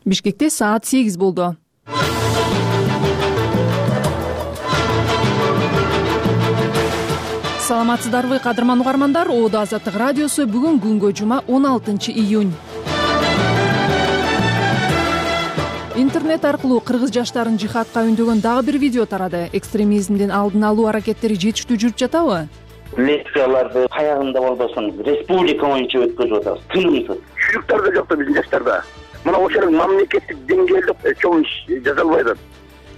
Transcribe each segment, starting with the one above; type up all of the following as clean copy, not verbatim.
Бишкекте саат 8 болду. Саламатсыздарбы, кадырман угармандар. Оодо Азаттык радиосу бүгүн күнгө жума 16 июнь. Интернет аркылуу кыргыз жаштарын жихадка үндөгөн дагы бир видео тарады. Экстремизмдин алдын алуу аракеттери жетиштүү жүрүп жатабы? Лекцияларды каягында болбосун республика боюнча өткөзүп атабыз. Тынымсыз. Чүрүктөр да жок да биздин жаштарда. Мына ошол мамлекеттик деңгээлде чоң иш жасалбай атат.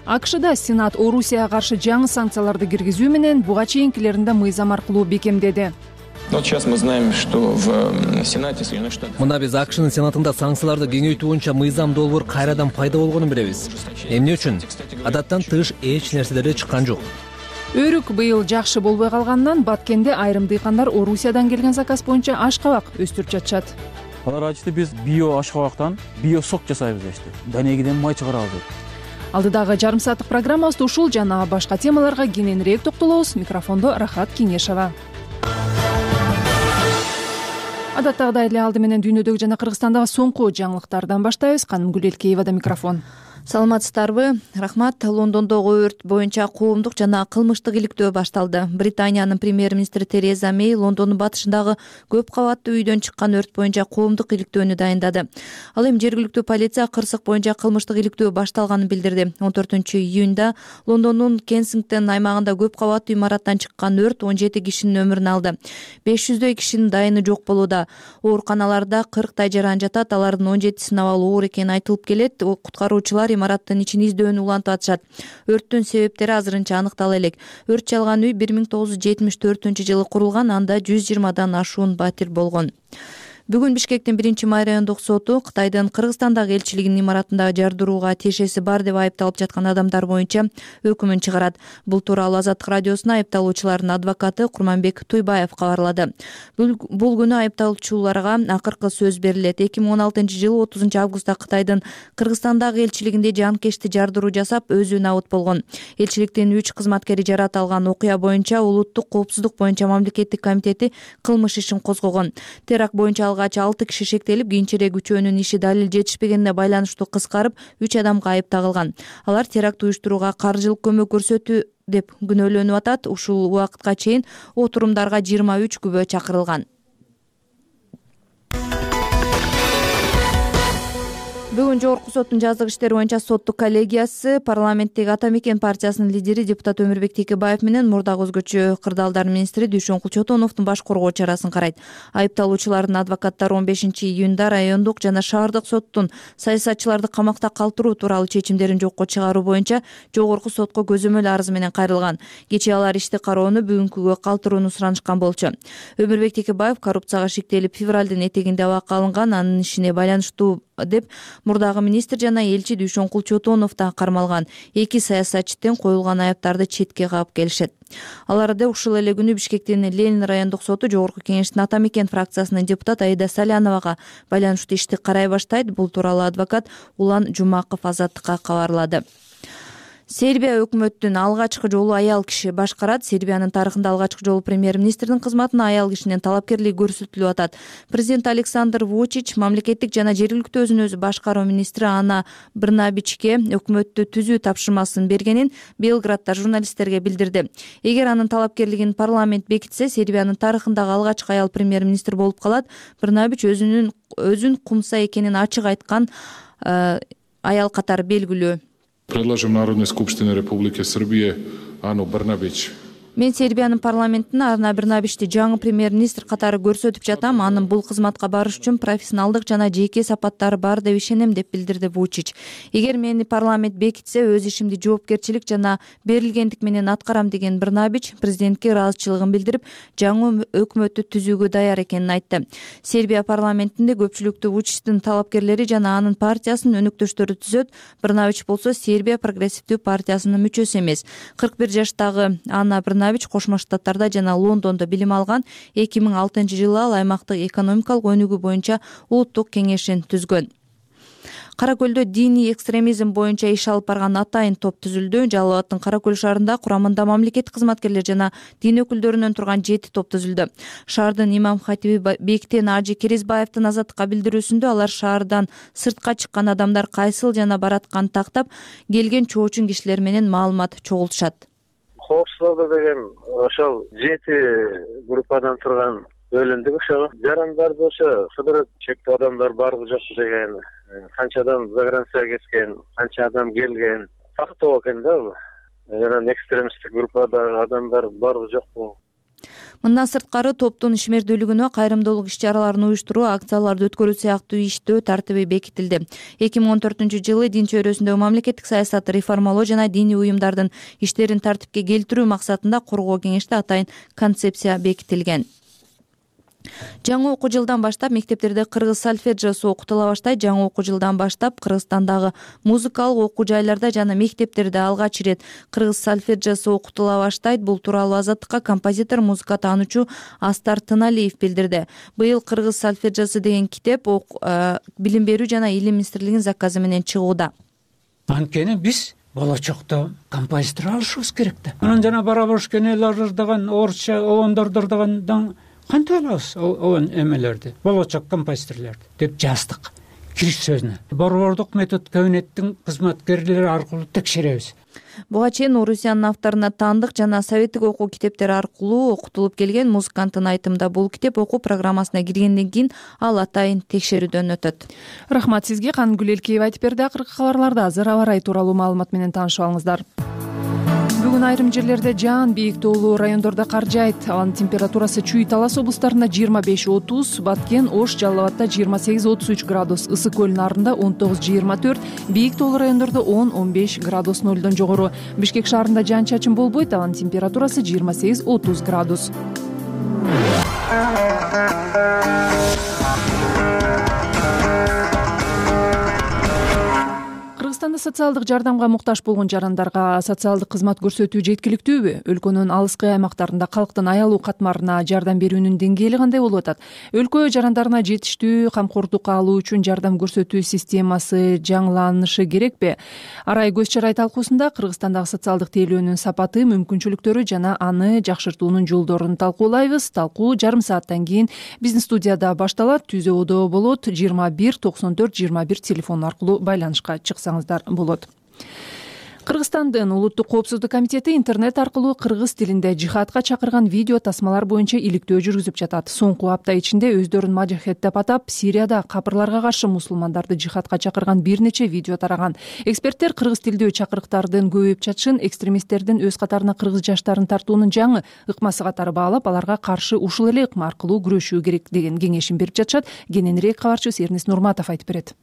АКШда Сенат Орусияга каршы жаңы санкцияларды киргизүү менен буга чейинкилерин да мыйзам аркылуу бекемдеди. Сейчас мы знаем, что в Сенате Соединенных Штатов. Мына биз АКШнын Сенатында санкцияларды кеңейтүү боюнча мыйзам долбоор кайрадан пайда болгонун билебиз. Эмне үчүн? Адаттан тыш эч нерселер чыккан жок. Өрүк быйыл жакшы болбой калганынан Баткенде айрым дыйкандар Орусиядан келген заказ боюнча ашкабак өстүрүп жатышат. Алар айтышты, биз био ашкабактан био сок жасайбыз дешти. Данегиден май чыгарабыз деп. Алдыдагы жарым сааттык программабызда ушул жана башка темаларга кененирээк токтолобуз. Микрофондо Рахат Кеңешова. Адаттагыдай эле алды менен дүйнөдөгү жана Кыргызстандагы соңку жаңылыктардан баштайбыз. Канымгүл Элкеевада микрофон. Саламатсыздарбы? Рахмат. Лондондогу өрт боюнча коомдук жана кылмыштык иликтөө башталды. Британиянын премьер-министри Тереза Мэй Лондондун батышындагы көп кабаттуу үйдөн чыккан өрт боюнча коомдук иликтөөнү дайындады. Ал эми жергиликтүү полиция кырсык боюнча кылмыштык иликтөө башталганын билдирди. 14-июнда Лондондун Кенсингтон аймагында көп кабаттуу имараттан чыккан өрт 17 кишинин өмүрүн алды. 500дөй кишинин дайыны жок болууда. Ооруканаларда 40 жаран жатат. Алардын 17синин абалы оор экени айтылып келет. Куткаруучулар имараттын ичин издөөнү улантып атышат. Өрттүн себептери азырынча аныктала элек. Өрт чалган үй 1974-жылы курулган, анда 120дан ашуун батир болгон. Бүгүн Бишкектин 1-май райондук соту Кытайдын Кыргызстандагы элчилигинин имаратында жардырууга тиешеси бар деп айыпталып жаткан адамдар боюнча өкүмүн чыгарат. Бул тууралуу Азаттык радиосуна айыпталуучулардын адвокаты Курманбек Туйбаев кабарлады. Бул күнү айыпталуучуларга акыркы сөз берилет. 2016-жылы 30-августта Кытайдын Кыргызстандагы элчилигинде жанкечти жардыруу жасап, өзү набыт болгон. Элчиликтин 3 кызматкери жаратылган окуя боюнча Улуттук коопсуздук боюнча мамлекеттик комитети кылмыш ишин козгогон. Теракт боюнча 6 киши шектелип, кийинчерээк үчөөнүн иши далил жетишпегенине байланыштуу кыскарып, 3 адамга айып тагылган. Алар теракт уюштурууга каржылык көмөк көрсөтүү деп күнөөлөнүп атат. Ушул убакытка чейин отурумдарга 23 күбө чакырылган. Бүгүн Жогорку соттун жаздык иштери боюнча соттук коллегиясы парламенттеги Ата Мекен партиясынын лидери депутат Өмүрбек Текебаев менен мурдагы өзгөчө кырдаалдар министри Дүйшөнкул Чотоновдун баш коргоо чарасын карайт. Айыпталуучулардын адвокаттары 15-июнда райондук жана шаардык соттун саясатчыларды камакта калтыруу тууралуу чечимдерин жокко чыгаруу боюнча Жогорку сотко көзөмөл арызы менен кайрылган. Кечээ алар ишти кароону бүгүнкүгө калтырууну суранышкан болчу. Өмүрбек Текебаев коррупцияга шектелип февралдын этегинде абакка алынган, анын ишине байланыштуу деп мурдагы министр жана элчи Дүйшөнкул Чотонов да кармалган. Эки саясатчыдан коюлган айыптарды четке кагып келишет. Аларды ушул эле күнү Бишкектин Ленин райондук соту Жогорку кеңештин Ата Мекен фракциясынын депутат Аида Саляновага байланыштуу ишти карай баштайт. Бул тууралуу адвокат Улан Жумаков Азаттыкка кабарлады. Сербия өкмөттүн алгачкы жолу аял киши башкарат. Сербиянын тарыхында алгачкы жолу премьер-министрдин кызматына аял кишинин талапкерлиги көрсөтүлүп атат. Президент Александр Вучич мамлекеттик жана жергиликтүү өзүн өзү башкаруу министри Ана Брнабичке өкмөттү түзүү тапшырмасын бергенин Белградда журналисттерге билдирди. Эгер анын талапкерлигин парламент бекитсе, Сербиянын тарыхындагы алгачкы аял премьер-министр болуп калат. Брнабич өзүн кумса экенин ачык айткан аял катары белгилүү. Предлагам Народной Скупштине Республики Сербия Ану Брнабич. Мен Сербиянын парламентине Ана Брнабичти жаңы премьер-министр катары көрсөтүп жатам. Анын бул кызматка барыш үчүн профессионалдык жана жеке сапаттары бар деп ишенем деп билдирди Вучич. Эгер мени парламент бекитсе, өз ишимди жоопкерчилик жана берилгендик менен аткарам деген Брнабич президентке ыраазычылыгын билдирип, жаңы өкмөттү түзүүгө даяр экенин айтты. Сербия парламентинде көпчүлүктүү Вучичтин талапкерлери жана анын партиясынын өнөктөштөрү түзөт. Брнабич болсо Сербия прогрессивдүү партиясынын мүчөсү эмес. 41 жаштагы Ана Брнабич Кошмо Штаттарда жана Лондондо билим алган. 2006-жылы ал аймактык экономикалык өнүгүү боюнча улуттук кеңешин түзгөн. Кара Көлдө диний экстремизм боюнча иш алып барган атайын топ түзүлдү. Жалал Абадтын Кара Көл шаарында курамында мамлекеттик кызматкерлер жана дин өкүлдөрүнөн турган 7 топ түзүлдү. Шаардын имам хатиби Бектен Ажы Керезбаевдин азаттыкка билдирүүсүндө алар шаардан сыртка чыккан адамдар кайсыл жана баратканын тактап, келген чоочун кишилер менен маалымат чогултушат. Коопсуздук деген ошол 7 группадан турган бөлүндүк. Ошо жарандар болсо кыдырып чектүү адамдар барбы жокпу деген, канча адам загранцияга кеткен, канча адам келген тактоо экен да. Жана экстремисттик группадагы адамдар барбы жокпу. Мындан сырткары топтун ишмердүүлүгүнө кайрымдуулук иш-чараларын уюштуруу, акцияларды өткөрүү сыяктуу иштөө тартиби бекитилди. 2014-жылы дин чөйрөсүндөгү мамлекеттик саясатты реформалоо жана диний уюмдардын иштерин тартипке келтирүү максатында Коргоо кеңеште атайын концепция бекитилген. Жаңы окуу жылдан баштап мектептерде кыргыз сольфеджиосу окутула баштайт. Жаңы окуу жылдан баштап Кыргызстандагы музыкалык окуу жайларда жана мектептерде алгач ирет кыргыз сольфеджиосу окутула баштайт. Бул тууралуу Азаттыкка композитор, музыка таануучу Астар Тыналиев билдирди. Быйыл кыргыз сольфеджиосу деген китеп билим берүү жана илим министрлигинин заказы менен чыгууда. Анткени биз болочокто композитор алышыбыз керек да. Анан жана барабошкенелер деген орусча оондордор деген кантип алабыз оон эмелерди, болочок композиторлорду деп жаздык кириш сөзүнө. Борбордук метод кабинеттин кызматкерлери аркылуу текшеребиз. Буга чейин Орусиянын авторуна таандык жана советтик окуу китептери аркылуу окутулуп келген музыканттын айтымында бул китеп окуу программасына киргенден кийин ал атайын текшерүүдөн өтөт. Рахмат сизге. Кангүл Элкеева айтып берди. Акыркы кабарларда азыр аба ырайы тууралуу маалымат менен таанышып алыңыздар. Бүгүн айрым жерлерде жаан, бийик тоолуу райондордо кар жаайт. Анын температурасы Чүй, Талас облустарында 25-30, Баткен, Ош, Жалал Абадта 28-33 градус, Ысык көл нарында 19-24, бийик тоолуу райондордо 10-15 градус нөлдөн жогору. Бишкек шаарында жаан-чачын болбойт, анын температурасы 28-30 градус. Кыргызстанда социалдык жардамга муктаж болгон жарандарга социалдык кызмат көрсөтүү жеткиликтүүбү? Өлкөнүн алыскы аймактарында калктын аялуу катмарына жардам берүүнүн деңгээли кандай болуп атат? Өлкө жарандарына жетиштүү камкордук алуу үчүн жардам көрсөтүү системасы жаңыланышы керекпи? Арай көз чарай талкуусунда Кыргызстандагы социалдык тейлөөнүн сапаты, мүмкүнчүлүктөрү жана аны жакшыртуунун жолдорун талкуулайбыз. Талкуу жарым сааттан кийин биздин студияда башталат. Түзөөдө болот. 21 94 21 телефон аркылуу байланышка чыксаңыздар болот. Кыргызстандын Улуттук коопсуздук комитети интернет аркылуу кыргыз тилинде жихадка чакырган видео тасмалар боюнча иликтөө жүргүзүп жатат. Соңку апта ичинде өздөрүн мажахет деп атап, Сирияда капырларга каршы мусулмандарды жихадка чакырган бир нече видео тараган. Эксперттер кыргыз тилдүү чакырыктардын көбөйүп жатышын экстремисттердин өз катарына кыргыз жаштарын тартуунун жаңы ыкмасы катары баалап, аларга каршы ушул эле ыкма аркылуу күрөшүү керек деген кеңешин берип жатышат. Кененирээк кабарчыбыз Эрнис Нурматов айтып берет.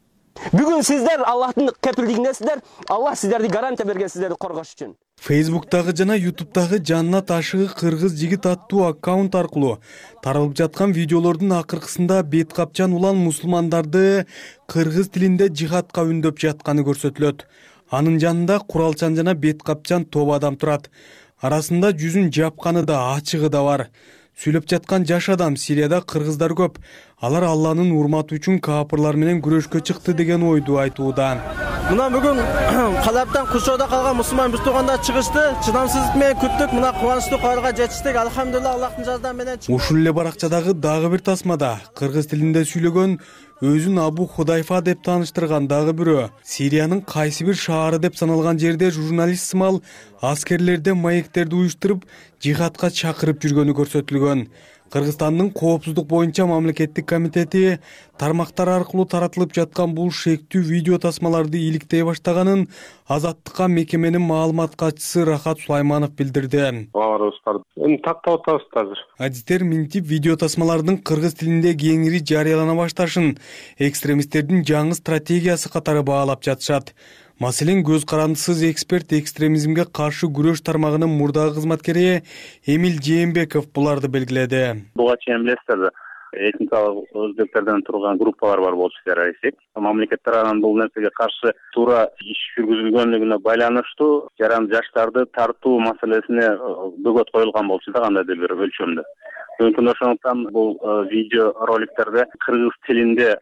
Бүгүн сиздер Аллахтын кепилдигиндесиздер. Аллах сиздерди гарантия берген сиздерди коргош үчүн. Фейсбуктагы жана Ютубтагы Жаннат ашыгы кыргыз жигит аттуу аккаунт аркылуу таралып жаткан видеолордун акыркысында бет капчан улан мусулмандарды кыргыз тилинде жихадка үндөп жатканы көрсөтүлөт. Анын жанында куралчан жана бет капчан топ адам турат. Арасында жүзүн жапканы да, ачыгы да бар. Сүйлөп жаткан жаш адам Сирияда кыргыздар көп. Алар Алланын урматы үчүн капырлар менен күрөшкө чыкты деген ойду айтууда. Мына бүгүн Калаптан Кушоодо калган мусулман бир туугандар чыгышты. Чыдамсыздык менен күттүк. Мына кубанычтуу кабарга жетиштик. Алхамдулилла, Аллахтын жардамы менен. Ушул эле баракчадагы дагы бир тасмада кыргыз тилинде сүйлөгөн, өзүн Абу Худайфа деп тааныштырган дагы бирөө Сириянын кайсы бир шаары деп саналган жерде журналист сымал аскерлерде маектерди уюштуруп жихадка чакырып жүргөнү көрсөтүлгөн. Кыргызстандын коопсуздук боюнча мамлекеттик комитети тармактар аркылуу таратылып жаткан бул шектүү видео тасмаларды иликтей баштаганын Азаттыкка мекеменин маалымат катчысы Рахат Сулайманов билдирди. Баарыбыз бар. Эми тактап атабыз азыр. Адистер минтип видео тасмалардын кыргыз тилинде кеңири жарыялана башташын экстремисттердин жаңы стратегиясы катары баалап жатышат. Маселен, көз карандысыз эксперт экстремизмге каршы күрөш тармагынын мурдагы кызматкери Эмил Жээнбеков буларды белгиледи. Буга чейин билесиздер, этникалык өзбектерден турган группалар бар болчу террористтик. Мамлекет тарабынан бул нерсеге каршы туура иш жүргүзүлгөнлүгүнө байланыштуу жаран жаштарды тартуу маселесине бөгөт коюлган болчу да кандайдыр бир өлчөмдө. Мүмкүн ошондуктан бул видео роликтерде кыргыз тилинде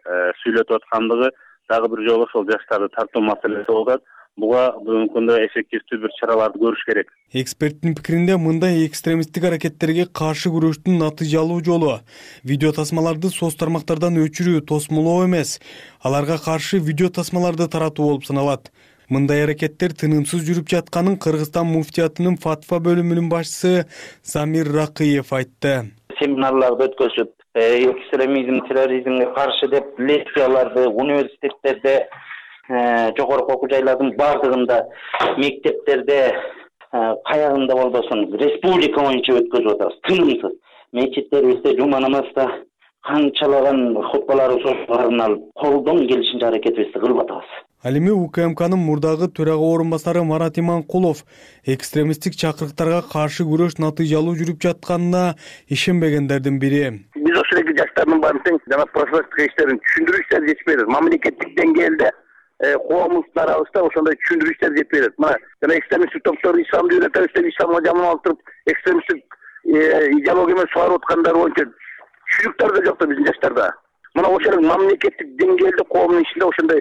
сүйлөтүп аткандыгы дагы бир жолу ошол жаштарды тартуу маселеси болуп атат. Буга бүгүнкү күндө эффективдүү бир чараларды көрүш керек. Эксперттин пикиринде мындай экстремисттик аракеттерге каршы күрөштүн натыйжалуу жолу видео тасмаларды соц тармактардан өчүрүү, тосмолоо эмес, аларга каршы видео тасмаларды таратуу болуп саналат. Мындай аракеттер тынымсыз жүрүп жатканын Кыргызстан муфтиятынын фатва бөлүмүнүн башчысы Замир Ракыев айтты. Семинарларды өткөзүп, экстремизм, терроризмге каршы деп лекцияларды университеттерде, жогорку окуу жайлардын бардыгында, мектептерде, каягында болбосун республика боюнча өткөзүп атабыз. Тынымсыз мечиттерибизде, жума намазда канчалаган хутбаларды алып, колдон келишинче аракетибизди кылып атабыз. Ал эми УКМКнын мурдагы төрага орун басары Марат Иманкулов экстремисттик чакырыктарга каршы күрөш натыйжалуу жүрүп жатканына ишенбегендердин бири. Биз ошол эки жаштардын баарын тең жана профилактика иштерин түшүндүрүү иштери жетишпей атат. Мамлекеттик деңгээлде коомубуздун арабызда ошондой түшүндүрүү иштери жетпей атат. Мына жана экстремисттик топтор исламды үйрөтөбүз деп исламга жаман алып туруп экстремисттик идеология менен сугарып аткандар боюнча түшүнүктөр да жок да биздин жаштарда. Мына ошол мамлекеттик деңгээлде коомдун ичинде ошондой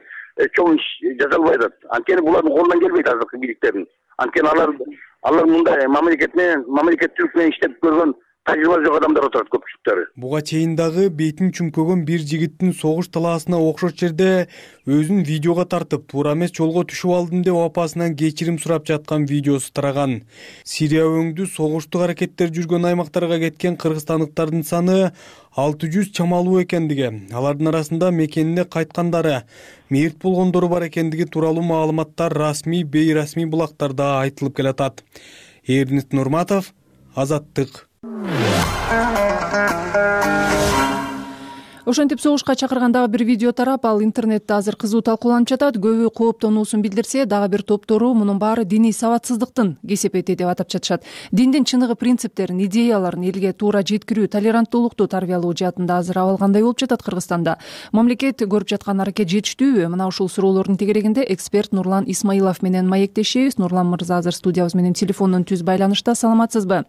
чоң иш жаза албай атат. Анткени булардын колунан келбейт азыркы бийликтердин. Анткени алар мындай мамлекеттүүлүк менен иштеп көргөн тажрыйба жок адамдар отурат көпчүлүктөрү. Буга чейин дагы бетин чүмкөгөн бир жигиттин согуш талаасына окшош жерде өзүн видеого тартып, туура эмес жолго түшүп алдым деп апасынан кечирим сурап жаткан видеосу тараган. Сирия өңдүү согуштук аракеттер жүргөн аймактарга кеткен кыргызстандыктардын саны 600 чамалуу экендиги, алардын арасында мекенине кайткандары, мерт болгондору бар экендиги тууралуу маалыматтар расмий, бейрасмий булактарда айтылып келатат. Эрнест Нурматов, Азаттык. Ошентип согушка чакырган дагы бир видео тарап, ал интернетте азыр кызуу талкууланып жатат. Көбү кооптонуусун билдирсе, дагы бир топтору мунун баары диний сабатсыздыктын кесепети деп атап жатышат. Диндин чыныгы принциптерин, идеяларын элге туура жеткирүү, толеранттуулукту тарбиялоо жаатында азыр абал кандай болуп жатат Кыргызстанда? Мамлекет көрүп жаткан аракет жетиштүүбү? Мына ушул суроолордун тегерегинде эксперт Нурлан Исмаилов менен маектешебиз. Нурлан мырза азыр студиябыз менен телефондон түз байланышта. Саламатсызбы?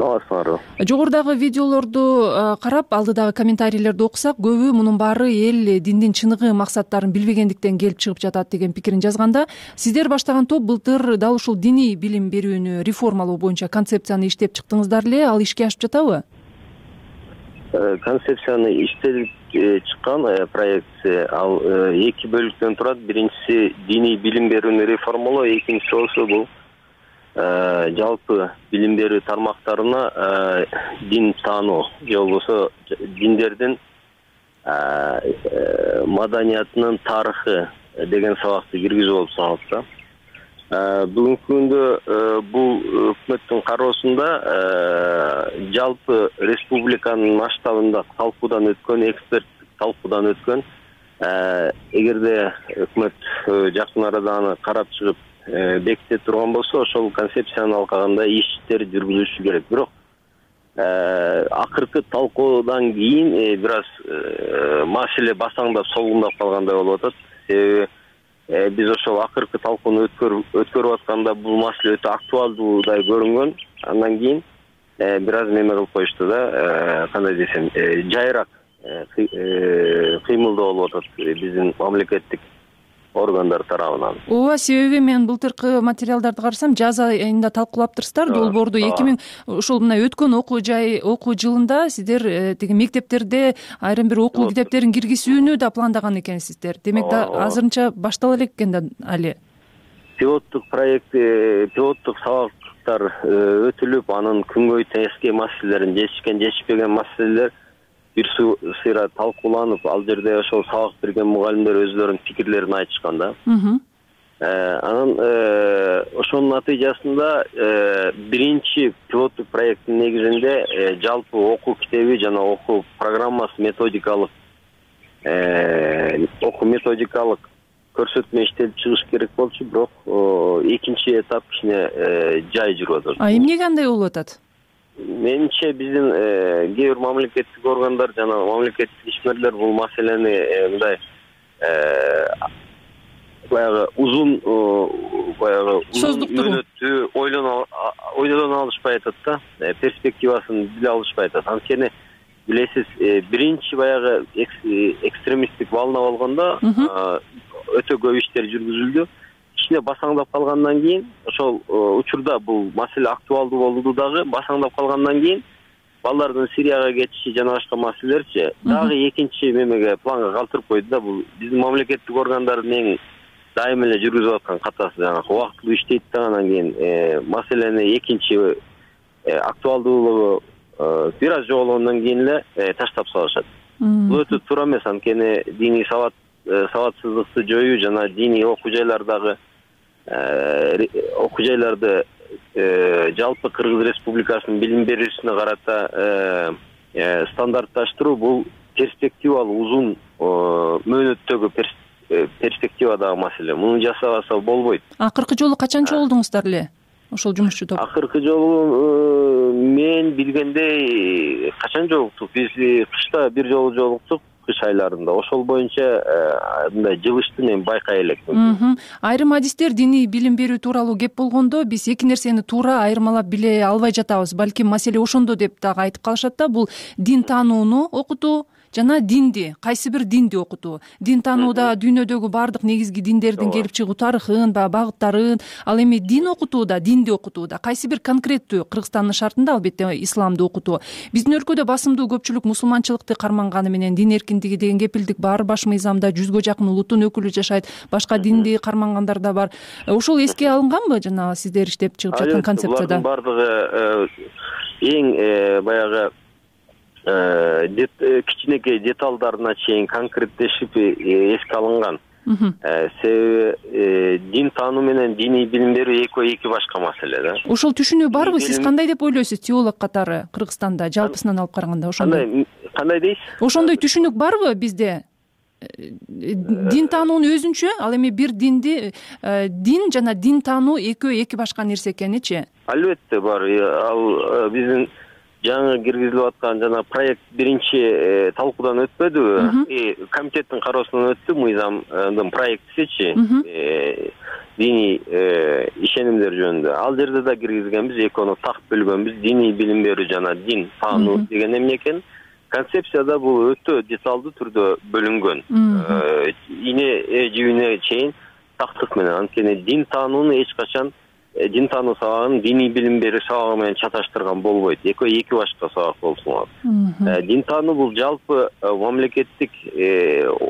Жогорудагы видеолорду карап, алдыдагы комментарийлерди окусак, көбү мунун баары эл диндин чыныгы максаттарын билбегендиктен келип чыгып жатат деген пикирин жазганда, сиздер баштаган топ былтыр дал ушул диний билим берүүнү реформалоо боюнча концепцияны иштеп чыктыңыздар эле, ал ишке ашып жатабы? Концепцияны иштелип чыккан проекция ал эки бөлүктөн турат. Биринчиси диний билим берүүнү реформалоо, экинчиси болсо бул жалпы билим берүү тармактарына дин таануу же болбосо диндердин маданиятынын тарыхы деген сабакты киргизүү болуп саналат да. Бүгүнкү күндө бул өкмөттүн кароосунда жалпы республиканын масштабында талкуудан өткөн, эксперттик талкуудан өткөн, эгерде өкмөт жакын арада аны карап чыгып беките турган болсо, ошол концепцияны алганда иштер жүргүзүлүшү керек. Бирок акыркы талкуудан кийин бир аз маселе басаңдап, солгундап калгандай болуп атат. Себеби биз ошол акыркы талкууну өткөрүп атканда бул маселе өтө актуалдуудай көрүнгөн. Андан кийин бир аз неме кылып коюшту да, кандай десем, жайыраак кыймылдоо болуп атат биздин мамлекеттик органдар тарабынан. Ооба, себеби мен былтыркы материалдарды карасам, жаз айында талкуулаптырсыздар долбоорду. 2000 ушул мына өткөн окуу жылында сиздер тиги мектептерде айрым бир окуу китептерин киргизүүнү да пландаган экенсиздер. Демек да азырынча баштала элек экен да али. Пилоттук проект, пилоттук сабактар өтүлүп, анын күнгөй тескей маселелерин, жетишпеген маселелер бир сыйра талкууланып, ал жерде ошол сабак берген мугалимдер өздөрүнүн пикирлерин айтышкан да. Анан ошонун натыйжасында биринчи пилоттук проекттин негизинде жалпы окуу китеби жана окуу программасы методикалык көрсөтмө иштелип чыгыш керек болчу, бирок экинчи этап кичине жай жүрүп атат. Эмнеге андай болуп атат? Менимче биздин кээ бир мамлекеттик органдар жана мамлекеттик ишмерлер бул маселени мындай баягы узун мөөнөттүү ойлоно алышпай атат да, перспективасын биле алышпай атат. Анткени билесиз, биринчи баягы экстремисттик волна болгондо өтө көп иштер жүргүзүлдү. Кичине басаңдап калгандан кийин, ошол учурда бул маселе актуалдуу болду дагы, басаңдап калгандан кийин балдардын Сирияга кетиши жана башка маселелерчи дагы экинчи мемеге планга калтырып койду да. Бул биздин мамлекеттик органдардын эң дайым эле жүргүзүп аткан катасы, жанагы убактылуу иштейт да, анан кийин маселени экинчи актуалдуулугу бир аз жоголгондон кийин эле таштап салышат. Бул өтө туура эмес, анткени диний сабатсыздыкты жоюу жана диний окуу жайлардагы окуу жайларды жалпы Кыргыз Республикасынын билим берүүсүнө карата стандартташтыруу бул перспективалуу узун мөөнөттөгү перспективадагы маселе. Муну жасабаса болбойт. Акыркы жолу качан чогулдуңуздар эле ошол жумушчу топ? Акыркы жолу мен билгендей качан жолуктук? Биз кышта бир жолу жолуктук, кыш айларында. Ошол боюнча мындай жылышты мен байкай элекмин. Айрым адистер диний билим берүү тууралуу кеп болгондо биз эки нерсени туура айырмалап биле албай жатабыз. Балким маселе ошондо деп дагы айтып калышат да. Бул дин таанууну окутуу жана динди, кайсы бир динди окутуу. Дин таанууда дүйнөдөгү баардык негизги диндердин келип чыгуу тарыхын, багыттарын, ал эми дин окутууда, динди окутууда кайсы бир конкреттүү Кыргызстандын шартында албетте исламды окутуу. Биздин өлкөдө басымдуу көпчүлүк мусулманчылыкты карманганы менен дин эркиндиги деген кепилдик бар. Баш мыйзамда 100гө жакын улуттун өкүлү жашайт, башка динди кармангандар да бар. Ошол эске алынганбы жана сиздер иштеп чыгып жаткан концепцияда? Бардыгы эң баягы кичинекей деталдарына чейин конкреттешип эске алынган. Себеби дин таануу менен диний билим берүү эки башка маселе да. Ошол түшүнүү барбы? Сиз кандай деп ойлойсуз теолог катары Кыргызстанда жалпысынан алып караганда ошондой? Кандай дейсиз? Ошондой түшүнүк барбы бизде? Дин таануунун өзүнчө, ал эми бир динди дин жана дин таануу эки башка нерсе экеничи? Албетте бар. Ал биздин жаңы киргизилип аткан жана проект биринчи талкуудан өтпөдүбү? Комитеттин кароосунан өттү мыйзамдын проектисичи, диний ишенимдер жөнүндө. Ал жерде да киргизгенбиз, экөөнү так бөлгөнбүз. Диний билим берүү жана дин таануу деген эмне экен? Концепцияда бул өтө деталдуу түрдө бөлүнгөн. Ине жибине чейин тактык менен. Анткени дин таанууну эч качан дин таануу сабагын диний билим берүү сабагы менен чаташтырган болбойт. Эки башка сабак болуп саналат. Дин таануу бул жалпы мамлекеттик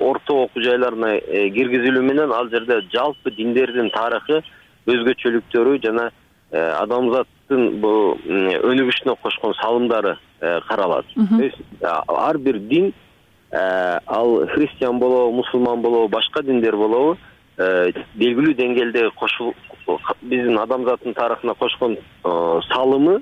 орто окуу жайларына киргизилүү менен ал жерде жалпы диндердин тарыхы, өзгөчөлүктөрү жана адамзаттын бул өнүгүшүнө кошкон салымдары каралат. Ар бир дин, ал христиан болобу, мусулман болобу, башка диндер болобу, белгилүү деңгээлде биздин адамзаттын тарыхына кошкон салымы,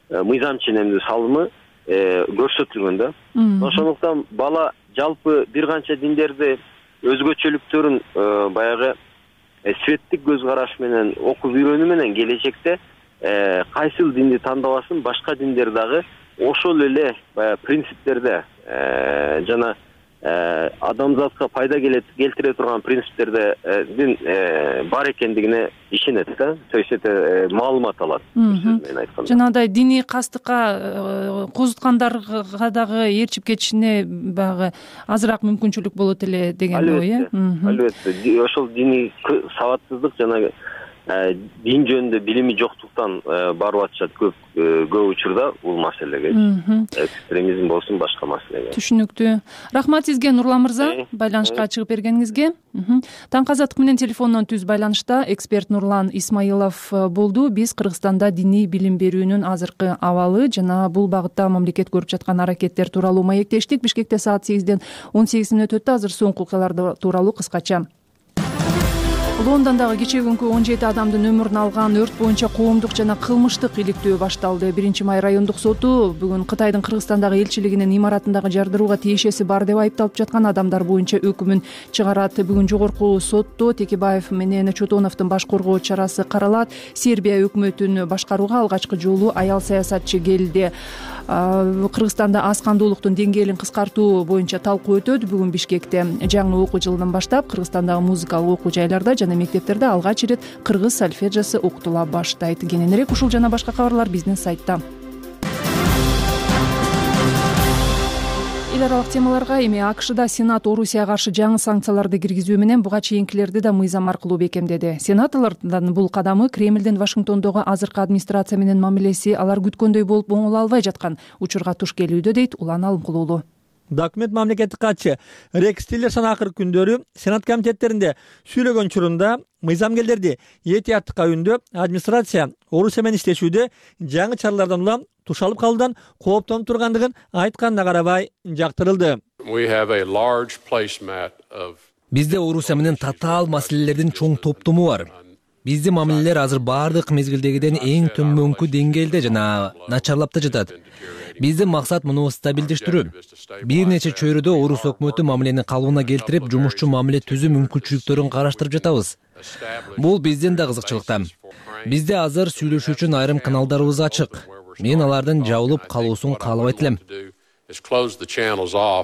мыйзам ченемдүү салымы көрсөтүлгөн да. Ошондуктан бала жалпы бир канча диндерди өзгөчөлүктөрүн баягы светтик көз караш менен окуп үйрөнүү менен келечекте кайсыл динди тандабасын, башка диндер дагы ошол эле баягы принциптерде жана адамзатка пайда келтире турган принциптердин бар экендигине ишенет да. То есть это маалымат алат. Жанагындай диний кастыкка козуткандарга дагы ээрчип кетишине баягы азыраак мүмкүнчүлүк болот эле деген ой, э? Албетте. Ошол диний сабатсыздык жана дин жөнүндө билими жоктуктан барып атышат көп учурда бул маселеге. Экстремизм болсун, башка маселеге. Түшүнүктүү. Рахмат сизге, Нурлан мырза, байланышка чыгып бергениңизге. Таңкы Азаттык менен телефондон түз байланышта эксперт Нурлан Исмаилов болду. Биз Кыргызстанда диний билим берүүнүн азыркы абалы жана бул багытта мамлекет көрүп жаткан аракеттер тууралуу маектештик. Бишкекте саат 8ден 18 мүнөт өттү. Азыр соңку окуялар тууралуу кыскача. Лондондогу кечээ күнкү 17 адамдын өмүрүн алган өрт боюнча коомдук жана кылмыштык иликтөө башталды. 1-май райондук соту бүгүн Кытайдын Кыргызстандагы элчилигинин имаратындагы жардырууга тиешеси бар деп айыпталып жаткан адамдар боюнча өкүмүн чыгарат. Бүгүн жогорку сотто Текебаев менен Чотоновдун баш коргоо чарасы каралат. Сербия өкмөтүн башкарууга алгачкы жолу аял саясатчы келди. Кыргызстанда аз кандуулуктун деңгээлин кыскартуу боюнча талкуу өтөт. Бүгүн Бишкекте жаңы окуу жылынан баштап Кыргызстандагы музыкалык окуу жайларда жана мектептерде алгач ирет кыргыз сольфеджиосы окутула баштайт. Кененирээк ушул жана башка кабарлар биздин сайтта. эл аралык темаларга эми АКШда Сенат Орусияга каршы жаңы санкцияларды киргизүү менен буга чейинкилерди да мыйзам аркылуу бекемдеди. Сенаторлордун бул кадамы Кремлдин Вашингтондогу азыркы администрация менен мамилеси алар күткөндөй болуп оңоло албай жаткан учурга туш келүүдө, дейт Улан Алымкулуулу. Документ мамлекеттик катчы Рекс Тиллерсон акыркы күндөрү Сенат комитеттеринде сүйлөгөн учурунда мыйзамгерлерди этияттыкка үндөп, администрация Орусия менен иштешүүдө жаңы чаралардан улам тушалып калуудан кооптонуп тургандыгын айтканына карабай жактырылды. Бизде Орусия менен татаал маселелердин чоң топтому бар. Биздин мамилелер азыр баардык мезгилдегиден эң төмөнкү деңгээлде жана начарлап да жатат. Биздин максат муну стабилдештирүү. Бир нече чөйрөдө Орус өкмөтү мамилени калыбына келтирип, жумушчу мамиле түзүү мүмкүнчүлүктөрүн караштырып жатабыз. Бул биздин да кызыкчылыкта. Бизде азыр сүйлөшүү үчүн айрым каналдарыбыз ачык. Мен алардын жабылып калуусун каалабайт элем.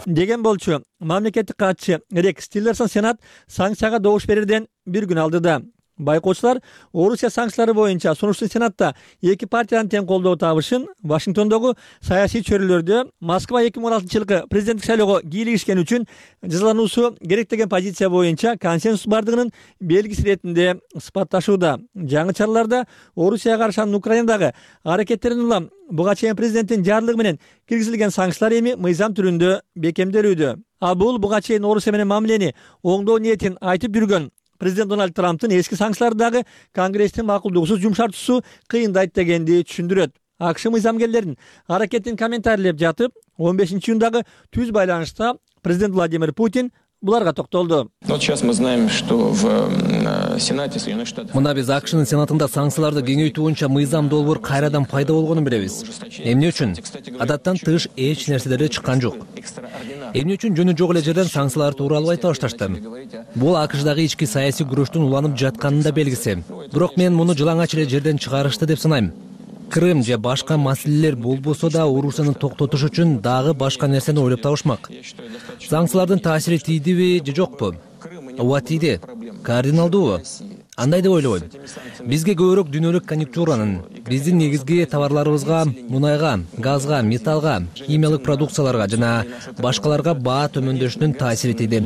Деген болчу мамлекеттик катчы Рекс Тиллерсон Сенат санкцияга добуш берерден бир күн алдыда. Байкоочулар Орусия санкциялары боюнча сунуштун Сенатта эки партиянын тең колдоо табышын Вашингтондогу саясий чөйрөлөрдө Москва 2016-жылкы президенттик шайлоого кийлигишкен үчүн жазалануусу керек деген позиция боюнча консенсус бардыгынын белгиси иретинде сыпатташууда. Жаңы чараларда Орусияга каршы Украинадагы аракеттерин улам буга чейин президенттин жарлыгы менен киргизилген санкциялар эми мыйзам түрүндө бекемделүүдө. А бул буга чейин Орусия менен мамилени оңдоо ниетин айтып жүргөн президент Дональд Трамптын эски санкциялардагы Конгресстин макулдугусуз жумшартуусу кыйындайт дегенди түшүндүрөт. АКШ мыйзамгерлерин аракетин комментарийлеп жатып, 15-июндагы түз байланышта президент Владимир Путин буларга токтолду. Мына биз АКШнын Сенатында санкцияларды кеңейтүү боюнча мыйзам долбоор кайрадан пайда болгонун билебиз. Эмне үчүн? Адаттан тыш эч нерселер чыккан жок. Эмне үчүн жөнү жок эле жерден санкциялар тууралуу айта башташты? Бул АКШдагы ички саясий күрөштүн уланып жатканын да белгиси. Бирок мен муну жылаңач эле жерден чыгарышты деп санайм. Крым же башка маселелер болбосо да Орусияны токтотуш үчүн дагы башка нерсени ойлоп табышмак. Санкциялардын таасири тийдиби же жокпу? Ооба тийди. Кардиналдуубу? Андай деп ойлойм. Бизге көбүрөөк дүйнөлүк конъюнктуранын, биздин негизги товарларыбызга, мунайга, газга, металлга, химиялык продукцияларга жана башкаларга баа төмөндөшүнүн таасири тийди.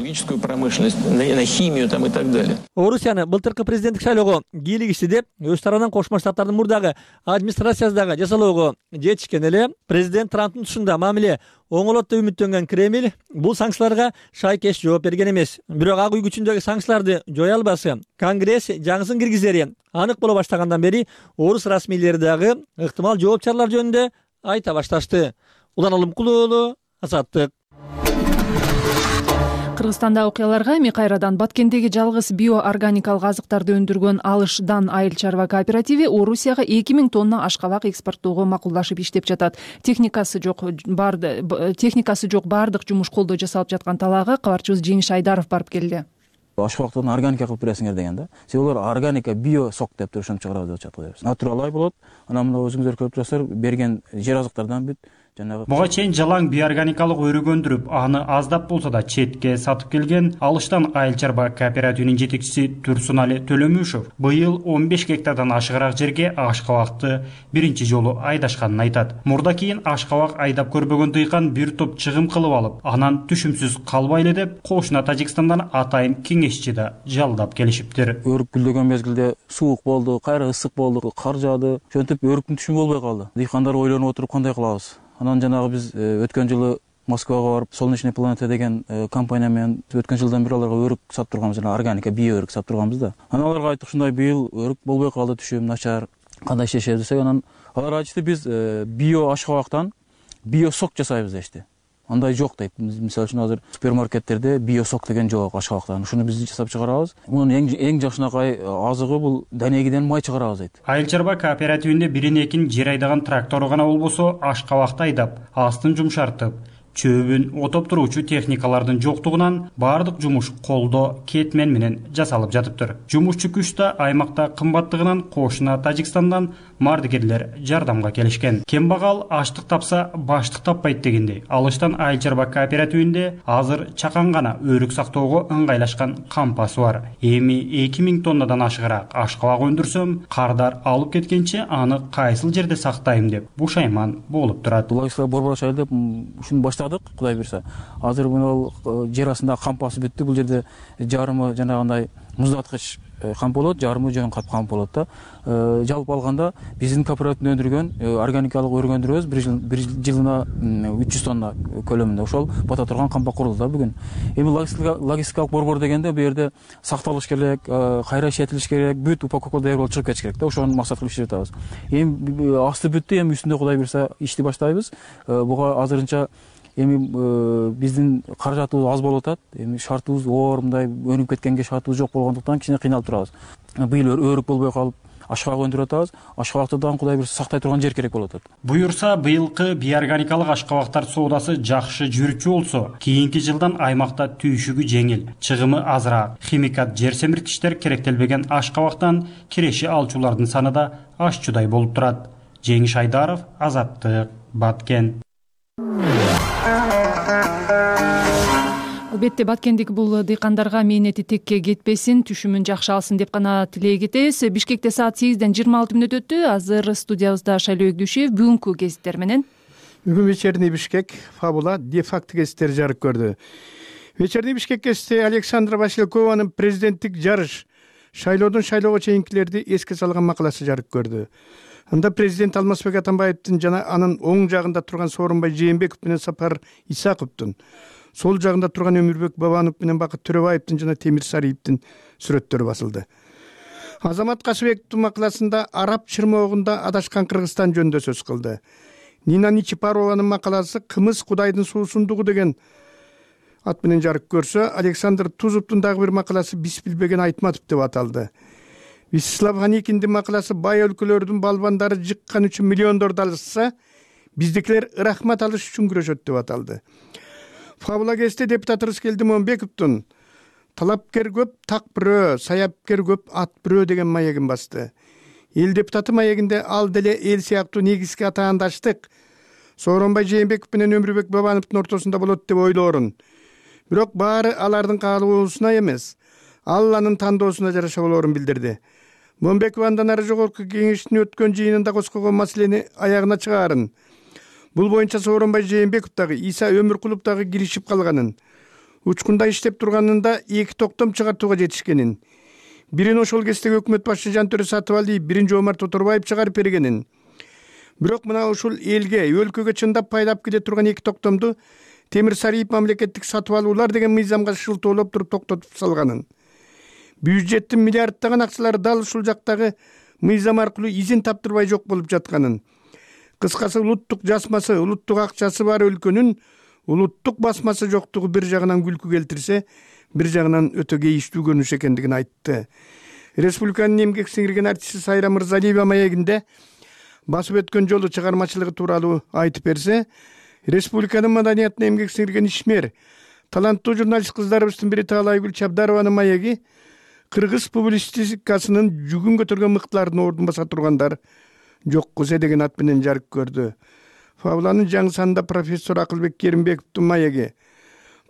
Орусияны былтыркы президенттик шайлоого кийлигишти деп өз тарабынан Кошмо Штаттардын мурдагы администрациясындагы жасалоого жетишкен эле президент Трамптын тушунда мамиле оңолот деп үмүттөнгөн Кремль бул санкцияларга шайкеш жооп берген эмес. Бирок ак үй күчүндөгү санкцияларды жое албасы Конгресс жаңысын киргизери анык боло баштагандан бери орус расмийлери дагы ыктымал жооп чаралар жөнүндө айта башташты. Улан Алымкулуулу, Азаттык. Кыргызстанда окуяларга эми кайрадан Баткендеги жалгыз биоорганикалык азыктарды өндүргөн Алышдан айыл чарба кооперативи Орусияга 2000 тонна ашкабак экспорттоого макулдашып иштеп жатат. Техникасы жок бардык жумуш колдо жасалып жаткан талаага кабарчыбыз Жеңиш Айдаров барып келди. Ашкабактан органика кылып бересиңер дегенде, себеби алар органика био сок деп туруп ошентип чыгарабыз деп жатат. Натуралай болот. Анан мына өзүңүздөр көрүп турасыздар, берген жер азыктардан бүт Буга чейин жалаң биоорганикалык өрүк өндүрүп, аны аздап болсо да четке сатып келген Алыштан айыл чарба кооперативинин жетекчиси Турсунали Төлөмүшев быйыл 15 гектардан ашыгыраак жерге ашкабакты биринчи жолу айдашканын айтат. Мурда кийин ашкабак айдап көрбөгөн дыйкан бир топ чыгым кылып алып, анан түшүмсүз калбайлы деп кошуна Тажикстандан атайын кеңешчи да жалдап келишиптир. Өрүк гүлдөгөн мезгилде суук болду, кайра ысык болду, кар жаады. Ошентип өрүктүн түшүмү болбой калды. Дыйкандар ойлонуп отуруп кандай кылабыз? Анан жанагы биз өткөн жылы Москвага барып, Солнечная планета деген компания менен өткөн жылдан бери аларга өрүк сатып турганбыз, жана органика био өрүк сатып турганбыз да. Анан аларга айттык, ушундай быйыл өрүк болбой калды, түшүм начар, кандай иштешебиз десек, анан алар айтышты, биз био ашкабактан био сок жасайбыз дешти. Андай жок дейт. Мисалы үчүн азыр супермаркеттерде био сок деген жок ашкабактан. Ушуну биз жасап чыгарабыз. Мунун эң жакшынакай азыгы бул данегиден май чыгарабыз дейт. Айыл чарба кооперативинде бирин экин жер айдаган трактору гана болбосо, ашкабакты айдап, астын жумшартып, чөбүн отоп туруучу техникалардын жоктугунан баардык жумуш колдо кетмен менен жасалып жатыптыр. Жумушчу күч да аймакта кымбаттыгынан кошуна Тажикстандан мардыгерлер жардамга келишкен. Кембагал аштык тапса баштык таппайт дегендей, Алыштан Айыл чарба кооперативинде азыр чакан гана өрүк сактоого ыңгайлашкан кампасы бар. Эми 2000 тоннадан ашыгыраак ашкабак өндүрсөм, кардар алып кеткенче аны кайсыл жерде сактайм деп бушайман болуп турат. Логистика борборчу айыл деп ушуну баштадык, Кудай буйрса. Азыр мына жер астында кампасы бүттү. Бул жерде жарымы жанагындай муздаткыч камп болот, жарымы жөн кат камп болот да. Жалпы алганда биздин кооперативде өндүргөн органикалык өрүк өндүрөбүз, бир жылына 300 тонна көлөмүндө. Ошол бата турган кампа курулду да бүгүн. Эми логистикалык борбор дегенде бу жерде сакталыш керек, кайра иштетилиш керек, бүт упаковка даяр болуп чыгып кетиш керек да. Ошону максат кылып иштеп жатабыз. Эми асты бүттү, эми үстүндө Кудай буйрса ишти баштайбыз. Буга азырынча эми биздин каражатыбыз аз болуп атат. Эми шартыбыз оор мындай өнүп кеткенге шартыбыз жок болгондуктан кичине кыйналып турабыз. Быйыл өрүк болбой калып ашкабак өндүрүп атабыз. Ашкабакты дагы Кудай буйрса сактай турган жер керек болуп атат. Буюрса, быйылкы биорганикалык ашкабактар соодасы жакшы жүрүчү болсо, кийинки жылдан аймакта түйшүгү жеңил, чыгымы азыраак, химикат жер семирткичтер керектелбеген ашкабактан киреши алчулардын саны да ашчудай болуп турат. Жеңиш Айдаров, Азаттык, Баткен. Албетте Баткендик бул дыйкандарга мээнети текке кетпесин, түшүмүн жакшы алсын деп гана тилей кетебиз. Бишкекте саат 8-ден 26 мүнөт өттү. Азыр студиябызда Шайлоо Өгдүшев бүгүнкү гезиттер менен. Бүгүн вечерний Бишкек фабула де-факто гезиттери жарык көрдү. Вечерний Бишкек гезити Александра Василькованын президенттик жарыш шайлоодон шайлоого чейинкилерди эске салган макаласы жарык көрдү. Анда президент Алмазбек Атамбаевдин жана анын оң жагында турган Сооронбай Жээнбеков менен Сапар Исаковдун, сол жагында турган Өмүрбек Бабанов менен Бакыт Төрөбаевдин жана Темир Сариевдин сүрөттөрү басылды. Азамат Касыбековдун макаласында араб чырмоогунда адашкан Кыргызстан жөнүндө сөз кылды. Нина Ничипарованын макаласы Кымыз Кудайдын суусундугу деген ат менен жарык көрсө, Александр Тузовдун дагы бир макаласы Биз билбеген Айтматов деп аталды. Вячеслав Ханикиндин макаласы Бай өлкөлөрдүн балбандары жыккан үчүн миллиондорду алышса, биздикилер ырахмат алыш үчүн күрөшөт деп аталды. Фабула гезити депутат Рыскелди Момбековдун талапкер көп, так бирөө, саяпкер көп, ат бирөө деген маегин басты. Эл депутаты маегинде ал деле эл сыяктуу негизги атаандаштык Сооронбай Жээнбеков менен Өмүрбек Бабановдун ортосунда болот деп ойлоорун. Бирок баары алардын каалоосуна эмес, Алланын тандоосуна жараша болоорун билдирди. Момбеков андан ары жогорку кеңештин өткөн жыйынында коскогон маселени аягына чыгаарын, бул боюнча Сооронбай Жээнбеков дагы Иса Өмүркулов дагы киришип калганын, учкунда иштеп турганында 2 токтом чыгартууга жетишкенин, бирин ошол кездеги өкмөт башчы Жантөрө Сатыбалиев, бирин Жоомарт Оторбаев чыгарып бергенин. Бирок мына ушул элге, өлкөгө чындап пайдап келе турган 2 токтомду Темир Сариев мамлекеттик сатып алуулар деген мыйзамга шылтоолоп туруп токтотуп салганын. Бюджеттин миллиарддаган акчалары дал ушул жактагы мыйзам аркылуу изин таптырбай жок болуп жатканын. Кыскасы улуттук жасмасы, улуттук акчасы бар өлкөнүн улуттук басмасы жоктугу бир жагынан күлкү келтирсе, бир жагынан өтө кейиштүү көрүнүш экендигин айтты. Республиканын эмгек сиңирген артисти Сайра Мырзалиева маегинде басып өткөн жолу чыгармачылыгы тууралуу айтып берсе, республиканын маданиятына эмгек сиңирген ишмер, таланттуу журналист кыздарыбыздын бири Таалайгүл Чабдарованын маеги кыргыз публистикасынын жүгүн көтөргөн мыктылардын ордун баса тургандар жок кузе деген ат менен жарык көрдү. Фабуланын жаңы санында профессор Акылбек Керимбековдун маеги,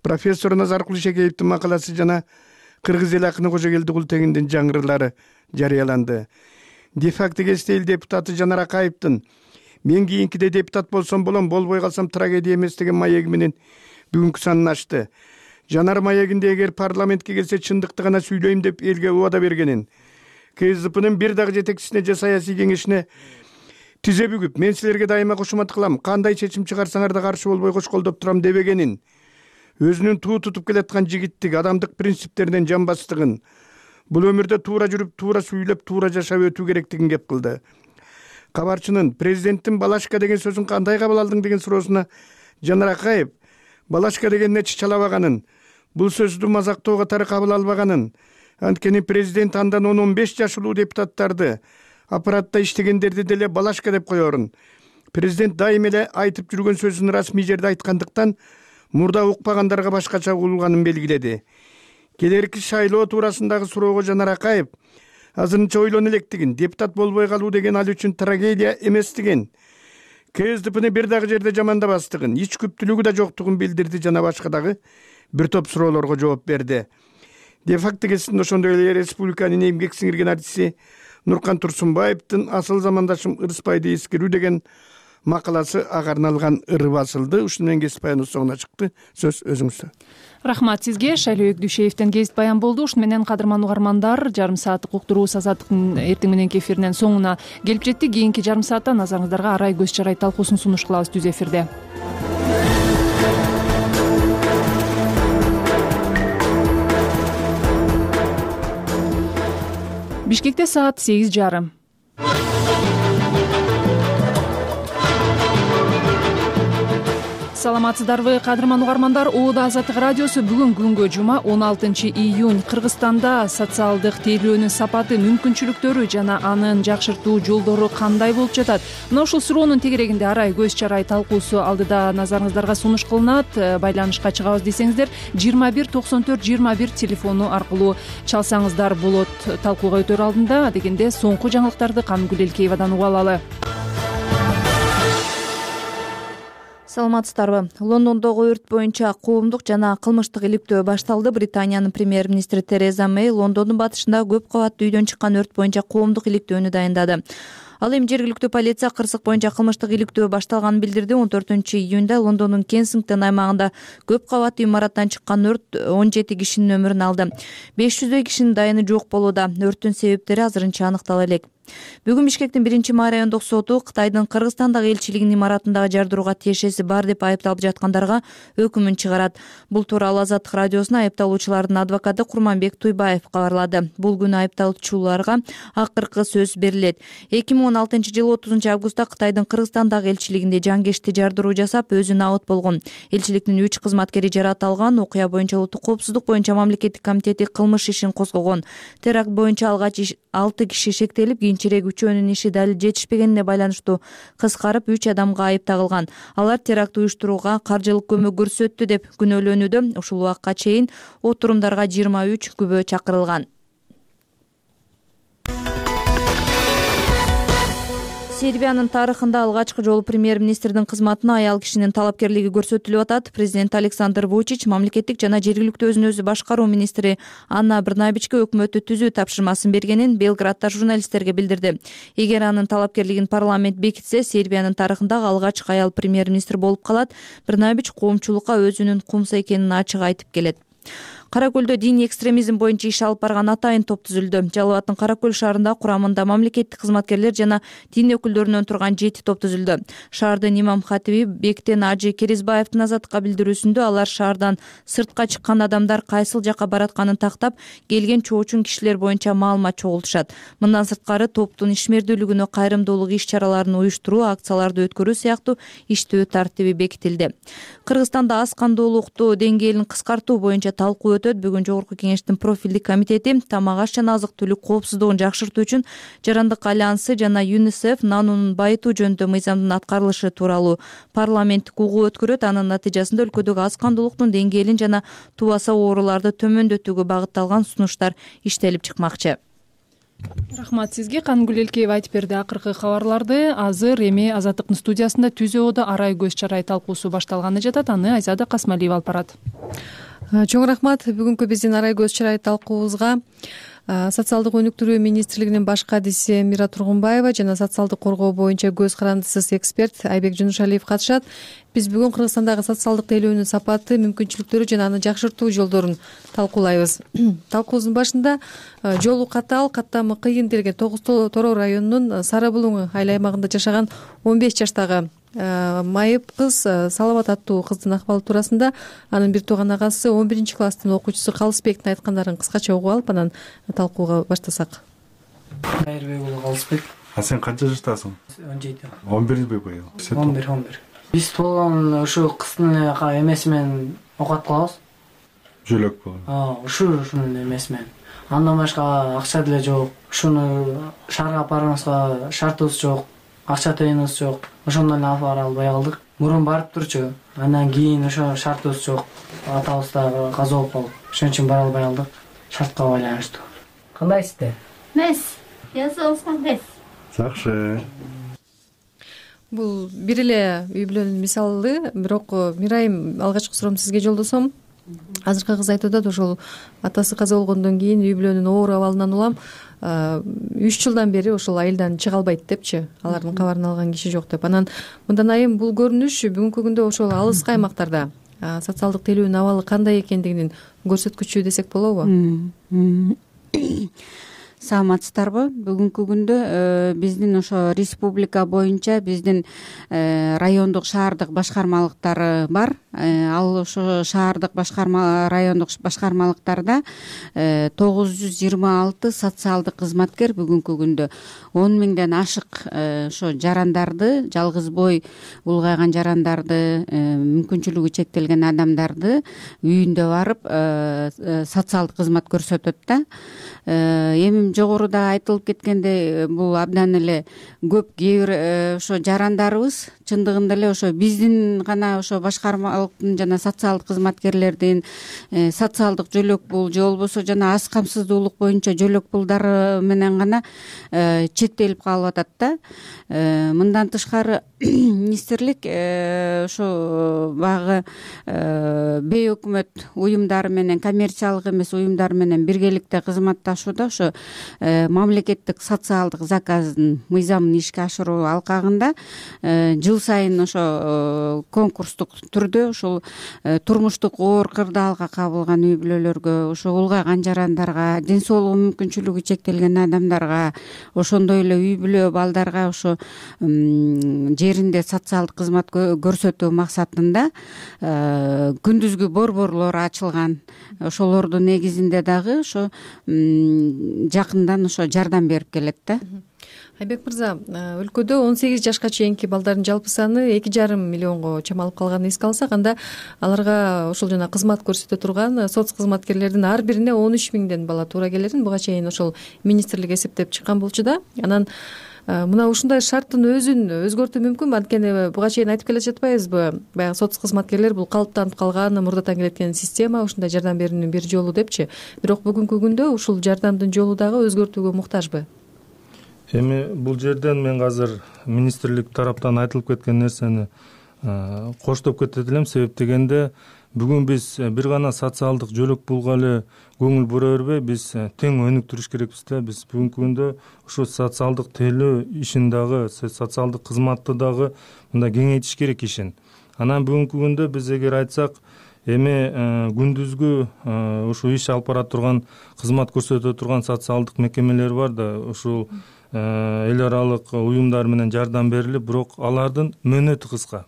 профессор Назаркул Шекеевдин макаласы жана кыргыз эл акыны Кожогелди Култегиндин жаңырылары жарыяланды. Де-факто гезити эл депутаты Жанар Акаевдин мен кийинкиде депутат болсом болом, болбой калсам трагедия эмес деген маеги менен бүгүнкү санын ачты. Жанар маегинде эгер парламентке келсе чындыкты гана сүйлөйм деп элге убада бергенин, КСДПнын бир дагы жетекчисине же саясий кеңешине тизе бүгүп, мен силерге дайыма кошумат кылам, кандай чечим чыгарсаңар да каршы болбой кошколдоп турам дебегенин, өзүнүн туу тутуп келаткан жигиттик, адамдык принциптеринен жамбастыгын, бул өмүрдө туура жүрүп, туура сүйлөп, туура жашап өтүү керектигин кеп кылды. Кабарчынын президенттин балашка деген сөзүн кандай кабыл алдың деген суроосуна Жанар Акаев балашка дегенине чычалабаганын, бул сөздү мазактоо катары кабыл албаганын, анткени президент андан 10-15 жашылуу депутаттарды аппаратта иштегендерди деле балашка деп коёрун. Президент дайым эле айтып жүргөн сөзүн расмий жерде айткандыктан мурда укпагандарга башкача угулганын белгиледи. Келерки шайлоо туурасындагы суроого Жанар Акаев азырынча ойлоно электигин, депутат болбой калуу деген ал үчүн трагедия эместигин, КСДПны бир дагы жерде жамандабастыгын, ич күптүүлүгү да жоктугун билдирди жана башка дагы бир топ суроолорго жооп берди. Де факто кезинде ошондой эле республиканын эмгек сиңирген артисти Нуркан Турсунбаевдин «Асыл замандашым ырыспайды эскерүү» деген макаласы ага арналган ыры басылды. Ушуну менен кесип баяныбыз соңуна чыкты. Сөз өзүңүздө. Рахмат сизге. Шайлоо Өкдүшеевден кесип баян болду. Ушуну менен кадырман угармандар, жарым сааттык уктуруубуз Азаттыктын эртең мененки эфиринин соңуна келип жеттик. Кийинки жарым саатта назарыңыздарга Арай көз чарай талкуусун сунуш кылабыз түз эфирде. Бишкекте саат 8:30. Саламатсыздарбы, кадырман угармандар. Оода Азаттык радиосу бүгүн күнгө жума 16 июнь Кыргызстанда социалдык тейлөөнүн сапаты, мүмкүнчүлүктөрү жана анын жакшыртуу жолдору кандай болуп жатат? Мына ушул суроонун тегерегинде Арай көз чарай талкуусу алдыда назарыңыздарга сунуш кылынат. Байланышка чыгабыз десеңиздер 21 94 21 телефону аркылуу чалсаңыздар болот. Талкууга өтөр алдында дегенде соңку жаңылыктарды Камгүл Элкеевадан угуп алалы. Саламатсыздарбы. Лондондогу өрт боюнча коомдук жана кылмыштык иликтөө башталды. Британиянын премьер-министри Тереза Мэй Лондондун батышында көп кабаттуу үйдөн чыккан өрт боюнча коомдук иликтөөнү дайындады. Ал эми жергиликтүү полиция кырсык боюнча кылмыштык иликтөө башталганын билдирди. 14 июнда Лондондун Кенсингтон аймагында көп кабаттуу имараттан чыккан өрт 17 кишинин өмүрүн алды. 500 кишинин дайыны жок болууда. Өрттүн себептери азырынча аныктала элек. Бүгүн Бишкектин 1-май райондук соту Кытайдын Кыргызстандагы элчилигинин имаратындагы жардырууга тиешеси бар деп айыпталып жаткандарга өкүмүн чыгарат. Бул тууралуу Азаттык радиосуна айыпталуучулардын адвокаты Курманбек Туйбаев кабарлады. Бул күнү айыпталуучуларга акыркы сөз берилет. 2016 жылы 30 августта Кытайдын Кыргызстандагы элчилигинде жангешти жардыруу жасап, өзү набыт болгон. Элчиликтин 3 кызматкери жаратылган. Окуя боюнча Улуттук коопсуздук боюнча мамлекеттик комитети кылмыш ишин козгогон. Теракт боюнча алгач 6 киши шектелип, кийинчерээк үчөөнүн иши далил жетишпегенине байланыштуу кыскарып 3 адамга айып тагылган. Алар теракт уюштурууга каржылык көмөк көрсөттү деп күнөөлөнүүдө. Ушул убакка чейин отурумдарга 23 күбө чакырылган. Сербиянын тарыхында алгачкы жолу премьер-министрдин кызматына аял кишинин талапкерлиги көрсөтүлүп атат. Президент Александр Вучич мамлекеттик жана жергиликтүү өзүн өзү башкаруу министри Анна Брнабичке өкмөттү түзүү тапшырмасын бергенин Белградда журналисттерге билдирди. Эгер анын талапкерлигин парламент бекитсе, Сербиянын тарыхындагы алгачкы аял премьер-министр болуп калат. Брнабич коомчулукка өзүнүн кумса экенин ачык айтып келет. Кара Көлдө диний экстремизм боюнча иш алып барган атайын топ түзүлдү. Жалал Абадтын Кара Көл шаарында курамында мамлекеттик кызматкерлер жана дин өкүлдөрүнөн турган 7 топ түзүлдү. Шаардын имам хатиби Бектен Ажы Керизбаевдин Азаттыкка билдирүүсүндө алар шаардан сыртка чыккан адамдар кайсыл жакка баратканын тактап, келген чоочун кишилер боюнча маалымат чогултушат. Мындан сырткары топтун ишмердүүлүгүнө кайрымдуулук иш-чараларын уюштуруу, акцияларды өткөрүү сыяктуу иштөө тартиби бекитилди. Кыргызстанда аз кандуулукту деңгээлин кыскартуу боюнча талкуу Бүгүн Жогорку кеңештин профилдик комитети тамак аш жана азык-түлүк коопсуздугун жакшыртуу үчүн Жарандык альянсы жана ЮНИСЕФ нанунун байытуу жөнүндө мыйзамдын аткарылышы тууралуу парламенттик угуу өткөрөт. Анын натыйжасында өлкөдөгү аз кандуулуктун деңгээлин жана тубаса ооруларды төмөндөтүүгө багытталган сунуштар иштелип чыкмакчы. Рахмат сизге. Камгүл Элкеева айтып берди акыркы кабарларды. Азыр эми Азаттыктын студиясында түз оода Арай көз чарай талкуусу башталганы жатат. Аны Айзада Касмалиева алып барат. Чоң рахмат. Бүгүнкү биздин Арай көз чарай талкуубузга социалдык өнүктүрүү министрлигинин баш кадиси Мира Тургунбаева жана социалдык коргоо боюнча көз карандысыз эксперт Айбек Жунушалиев катышат. Биз бүгүн Кыргызстандагы социалдык тейлөөнүн сапаты, мүмкүнчүлүктөрү жана аны жакшыртуу жолдорун талкуулайбыз. Талкуубуздун башында жолу катаал, каттамы кыйын делген Тогуз Тороо районунун Сары Булуң айыл аймагында жашаган 15 жаштагы майып кыз Салават аттуу кыздын акыбалы туурасында анын бир тууган агасы 11-класстын окуучусу Калысбектин айткандарын кыскача угуп алып, анан талкууга баштасак. Кайырбек уулу Калысбек. Сен канча жаштасың? 17. 11 быйыл? 11. Биз болгон ушу кыздын эмеси менен окат кылабыз. Жөлөк болот. Ушунун эмеси менен. Андан башка акча деле жок. Ушуну шаарга алып барганыбызга шартыбыз жок. Акча тыйыныбыз жок. Ошондон эле алып бара албай калдык. Мурун барып турчу. Андан кийин ошо шартыбыз жок. Атабыз да каза болуп калды. Ошон үчүн бара албай калдык. Шартка байланыштуу. Кандайсыздар? эмес, жазып алсаң эмес. Жакшы. Бул бир эле үй бүлөнүн мисалы, бирок Мирайым, алгачкы суроом сизге жолдосом. Азыркы кыз айтып атат, ошол атасы каза болгондон кийин үй бүлөнүн оор абалынан улам 3 жылдан бери ошол айылдан чыга албайт депчи, алардын кабарын алган киши жок деп. Анан мындан айым бул көрүнүш бүгүнкү күндө ошол алыскы аймактарда социалдык тилөөнүн абалы кандай экендигинин көрсөткүчү десек болобу? Саламатсыздарбы? Бүгүнкү күндө биздин ошо республика боюнча биздин райондук шаардык башкармалыктары бар. Ал ошо шаардык райондук башкармалыктарда 926 социалдык кызматкер бүгүнкү күндө 10 миңден ашык ошо жарандарды, жалгыз бой улгайган жарандарды, мүмкүнчүлүгү чектелген адамдарды үйүндө барып социалдык кызмат көрсөтөт да. Эми жогоруда айтылып кеткендей, бул абдан эле көп. Кээ бир ошо жарандарыбыз чындыгында эле ошо биздин гана ошо башкармалыктын жана социалдык кызматкерлердин социалдык жөлөк пул же болбосо жана аз камсыздуулук боюнча жөлөк пулдары менен гана чектелип калып атат да. Мындан тышкары министрлик ошо багы бейөкмөт уюмдары менен, коммерциялык эмес уюмдар менен биргеликте кызматташууда ошо мамлекеттик социалдык заказдын мыйзамын ишке ашыруу алкагында жыл сайын ошо конкурстук түрдө ошол турмуштук оор кырдаалга кабылган үй бүлөлөргө, ошо улгайган жарандарга, ден соолугу мүмкүнчүлүгү чектелген адамдарга, ошондой эле үй бүлө балдарга ошо жеринде социалдык кызмат көрсөтүү максатында күндүзгү борборлор ачылган. Ошолордун негизинде дагы ошо жакындан ошо жардам берип келет да. Айбек мырза, өлкөдө 18 жашка чейинки балдардын жалпы саны 2,5 миллионго чамалып калганын эске алсак, анда аларга ошол жана кызмат көрсөтө турган соц кызматкерлердин ар бирине 13 миңден бала туура келерин буга чейин ошол министрлик эсептеп чыккан болчу да. Анан мына ушундай шарттын өзүн өзгөртүү мүмкүнбү? Анткени буга чейин айтып келе жатпайбызбы? Баягы соц кызматкерлер бул калыптанып калган, мурдатан келеткен система, ушундай жардам берүүнүн бир жолу депчи. Бирок бүгүнкү күндө ушул жардамдын жолу дагы өзгөртүүгө муктажбы? Эми бул жерден мен азыр министрлик тараптан айтылып кеткен нерсени коштоп кетет элем. Себеп дегенде бүгүн биз бир гана социалдык жөлөк пулга эле көңүл бура бербей, биз тең өнүктүрүш керекпиз да. Биз бүгүнкү күндө ушу социалдык тейлөө ишин дагы, социалдык кызматты дагы мындай кеңейтиш керек ишин. Анан бүгүнкү күндө биз эгер айтсак, эми күндүзгү ушу иш алып бара турган, кызмат көрсөтө турган социалдык мекемелер бар да, ушул эл аралык уюмдар менен жардам берилип, бирок алардын мөөнөтү кыска.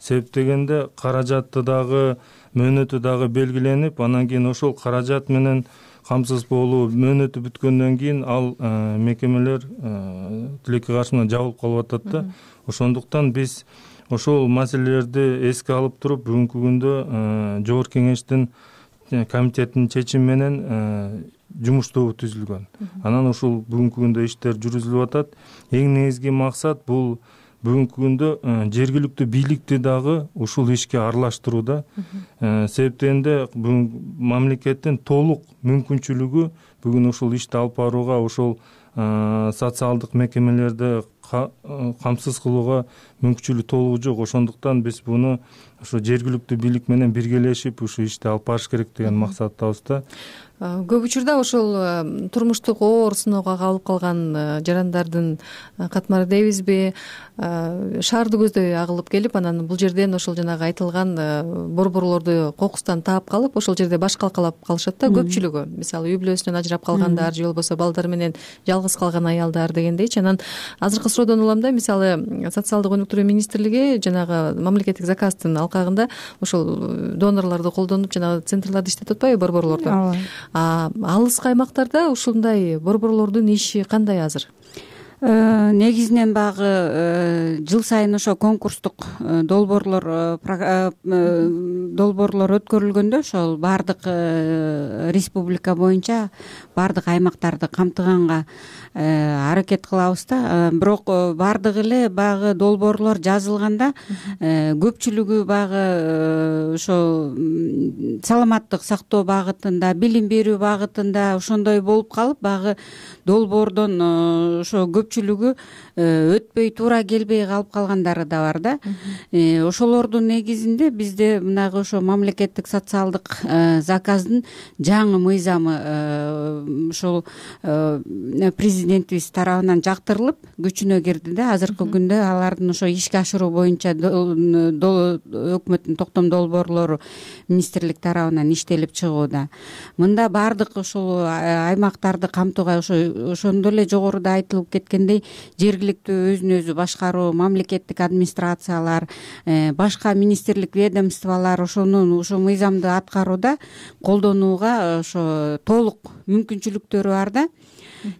Себеп дегенде каражатты дагы, мөөнөтү дагы белгиленип, анан кийин ошол каражат менен камсыз болуу, мөөнөтү бүткөндөн кийин ал мекемелер тилекке каршы менен жабылып калып атат да. Ошондуктан биз ошол маселелерди эске алып туруп, бүгүнкү күндө жогорку кеңештин комитетинин чечими менен жумуш тобу түзүлгөн. Анан ушул бүгүнкү күндө иштер жүргүзүлүп атат. Эң негизги максат бул бүгүнкү күндө жергиликтүү бийликти дагы ушул ишке аралаштырууда. Себеп дегенде бүгүн мамлекеттин толук мүмкүнчүлүгү бүгүн ушул ишти алып барууга, ушул социалдык мекемелерди камсыз кылууга мүмкүнчүлүгү толугу жок. Ошондуктан биз буну ушу жергиликтүү бийлик менен биргелешип ушу ишти алып барыш керек деген максаттабыз да. Көп учурда ошол турмуштук оор сыноого кабылып калган жарандардын катмары дейбизби, шаарды көздөй агылып келип, анан бул жерден ошол жанагы айтылган борборлорду кокустан таап калып, ошол жерде баш калкалап калышат да көпчүлүгү. Мисалы үй бүлөсүнөн ажырап калгандар же болбосо балдары менен жалгыз калган аялдар дегендейчи. Анан азыркы суроодон улам да, мисалы социалдык өнүктүрүү министрлиги жанагы мамлекеттик заказдын алкагында ошол донорлорду колдонуп жанагы центрларды иштетип атпайбы, борборлорду. Алыскы аймактарда ушундай борборлордун иши кандай азыр? Негизинен баягы жыл сайын ошо конкурстук долбоорлор өткөрүлгөндө ошол баардык республика боюнча баардык аймактарды камтыганга аракет кылабыз да. Бирок баардыгы эле баягы долбоорлор жазылганда көпчүлүгү баягы ошо саламаттык сактоо багытында, билим берүү багытында ошондой болуп калып, баягы долбоордон ошо көпчүлүгү өтпөй туура келбей калып калгандары да бар да. Ошолордун негизинде бизде мынагы ошо мамлекеттик социалдык заказдын жаңы мыйзамы ошол президентибиз тарабынан жактырылып күчүнө кирди да. Азыркы күндө алардын ошо ишке ашыруу боюнча өкмөттүн токтом долбоорлору министрлик тарабынан иштелип чыгууда. Мында баардык ошол аймактарды камтууга ошондой эле жогоруда айтылып кеткендей жергиликтүү өзүн өзү башкаруу, мамлекеттик администрациялар, башка министрлик ведомстволор ошо мыйзамды аткарууда колдонууга ошо толук мүмкүнчүлүктөрү бар да.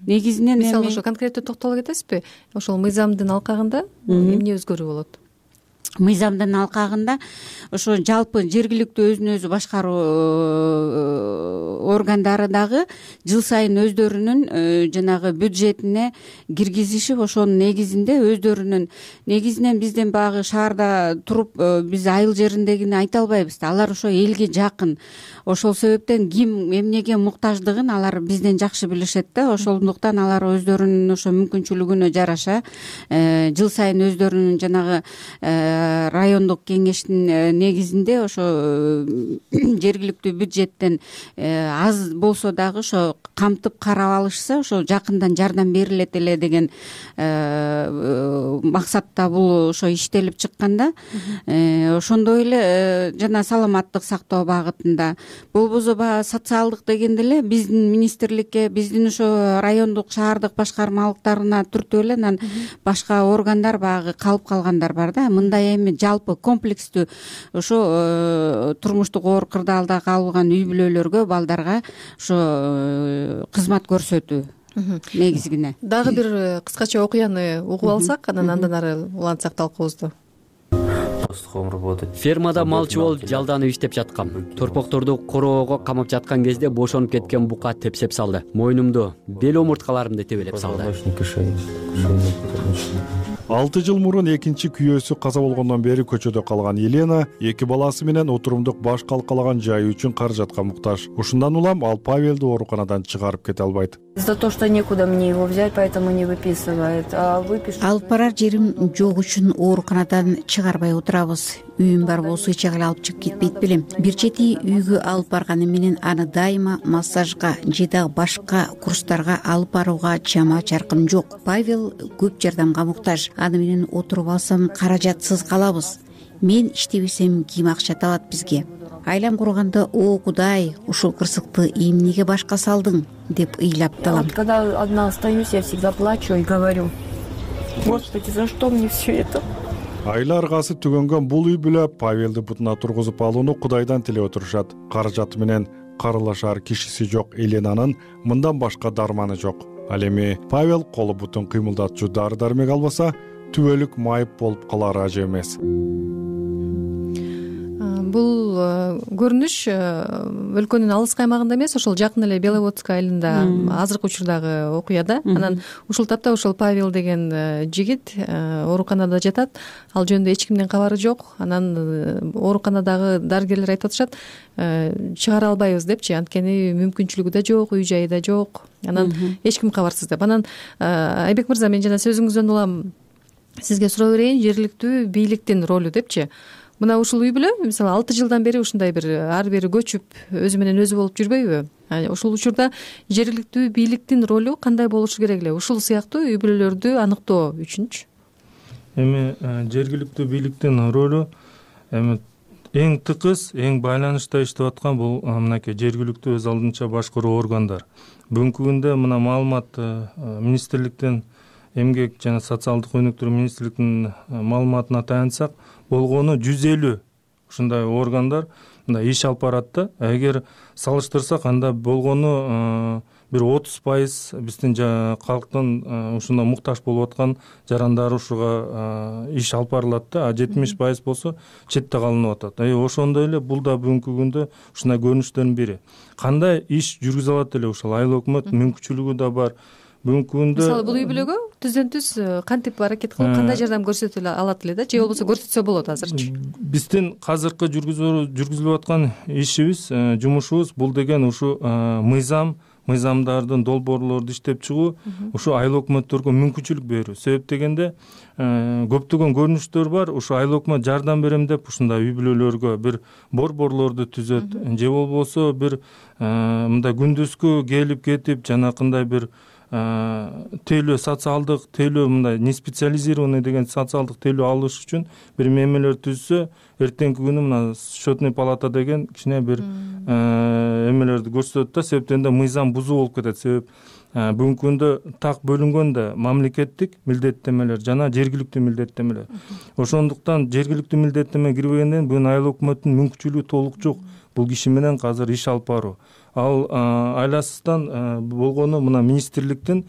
Негизинен мисалы ошо конкреттүү токтоло кетесизби? Ошол мыйзамдын алкагында эмне өзгөрүү болот? Мыйзамдын алкагында ошо жалпы жергиликтүү өзүн өзү башкаруу органдары дагы жыл сайын өздөрүнүн жанагы бюджетине киргизишип, ошонун негизинде өздөрүнүн негизинен бизден баягы шаарда туруп биз айыл жериндегини айта албайбыз да. Алар ошо элге жакын. Ошол себептен ким эмнеге муктаждыгын алар бизден жакшы билишет да. Ошондуктан алар өздөрүнүн ошо мүмкүнчүлүгүнө жараша жыл сайын өздөрүнүн жанагы райондук кеңештин негизинде ошо жергиликтүү бюджеттен аз болсо дагы ошо камтып карап алышса, ошо жакындан жардам берилет эле деген максатта бул ошо иштелип чыкканда, ошондой эле жана саламаттык сактоо багытында болбосо баягы социалдык дегенде эле биздин министрликке, биздин ошо райондук шаардык башкармалыктарына түртүп эле анан башка органдар баягы калып калгандар бар да. Мындай эми жалпы комплекстүү ошо турмуштук оор кырдаалда калган үй бүлөлөргө, балдарга ошо кызмат көрсөтүү негизгине. Дагы бир кыскача окуяны угуп алсак, андан ары улантсак талкуубузду. Фермада малчы болуп жалданып иштеп жаткам. Торпокторду короого камап жаткан кезде бошонуп кеткен бука тепсеп салды. Мойнумду, бел омурткаларымды тебелеп салды. 6 жыл мурун экинчи күйөөсү каза болгондон бери көчөдө калган Елена эки баласы менен отурумдук баш калкалаган жайы үчүн каражатка муктаж. Ушундан улам ал Павелди ооруканадан чыгарып кете албайт. За то, что некуда мне его взять, поэтому не выписывает. Алып барар жерим жок үчүн ооруканадан чыгарбай отурабыз. Үйүм бар болсо эч жагы алып чыгып кетпейт белем. Бир чети үйгө алып барганы менен аны дайыма массажга же дагы башка курстарга алып барууга чама чаркым жок. Павел көп жардамга муктаж. Аны менен отуруп алсам каражатсыз калабыз. Мен иштебесем ким акча табат бизге? Айлам курганда о Кудай, ушул кырсыкты эмнеге башка салдың деп ыйлап талам. Когда одна остаюсь, я всегда плачу и говорю: Господи, за что мне все это? Айла аргасы түгөнгөн бул үй бүлө Павелди бутуна тургузуп алууну Кудайдан тилеп отурушат. Каражаты менен карылашар кишиси жок Еленанын мындан башка дарманы жок. Ал эми Павел колу бутун кыймылдатчу дары дармек албаса, түбөлүк майып болуп калары ажы эмес. Бул көрүнүш өлкөнүн алыскы аймагында эмес, ошол жакын эле Беловодск айылында азыркы учурдагы окуя да. Анан ушул тапта ошол Павел деген жигит ооруканада жатат. Ал жөнүндө эч кимдин кабары жок. Анан ооруканадагы дарыгерлер айтып атышат, чыгара албайбыз депчи, анткени мүмкүнчүлүгү да жок, үй жайы да жок. Анан эч ким кабарсыз деп. Анан Айбек мырза, мен жана сөзүңүздөн улам сизге суроо берейин, жергиликтүү бийликтин ролу депчи. Мына ушул үй бүлө мисалы 6 жылдан бери ушундай бир ар бери көчүп өзү менен өзү болуп жүрбөйбү? Ушул учурда жергиликтүү бийликтин ролу кандай болушу керек эле? Ушул сыяктуу үй бүлөлөрдү аныктоо үчүнчү? Эми жергиликтүү бийликтин ролу эми эң тыкыз, эң байланышта иштеп аткан бул мынакей жергиликтүү өз алдынча башкаруу органдар. Бүгүнкү күндө мына маалымат министрликтен, эмгек жана социалдык өнүктүрүү министрлигинин маалыматына таянсак, болгону 150 ушундай органдар мындай иш алып барат да. Эгер салыштырсак, анда болгону бир 30% биздин калктын ушундай муктаж болуп аткан жарандар ушуга иш алып барылат да, 70% болсо четте калынып атат. Ошондой эле бул да бүгүнкү күндө ушундай көрүнүштөрдүн бири. Кандай иш жүргүзө алат эле ушул айыл өкмөт мүмкүнчүлүгү да бар. Бүгүнкү күндө мисалы бул үй бүлөгө түздөн түз кантип аракет кылып кандай жардам көрсөтө алат эле да, же болбосо көрсөтсө болот азырчы? Биздин азыркы жүргүзүлүп аткан ишибиз, жумушубуз бул деген ушу мыйзамдардын долбоорлорду иштеп чыгуу, ушу айыл өкмөттөргө мүмкүнчүлүк берүү. Себеп дегенде көптөгөн көрүнүштөр бар. Ушу айыл өкмөт жардам берем деп ушундай үй бүлөлөргө бир борборлорду түзөт, же болбосо бир мындай күндүзгү келип кетип жанакындай бир тейлөө социалдык тейлөө, мындай не специализированный деген социалдык тейлөө алыш үчүн бир мемелер түзсө, эртеңки күнү мына счетный палата деген кичине бир эмелерди көрсөтөт да, себептен мыйзам бузуу болуп кетет. Себеп бүгүнкү күндө так бөлүнгөн да мамлекеттик милдеттемелер жана жергиликтүү милдеттемелер. Ошондуктан жергиликтүү милдеттеме кирбегенден бүгүн айыл өкмөттүн мүмкүнчүлүгү толук жок бул киши менен азыр иш алып баруу. Ал айласыздан болгону мына министрликтин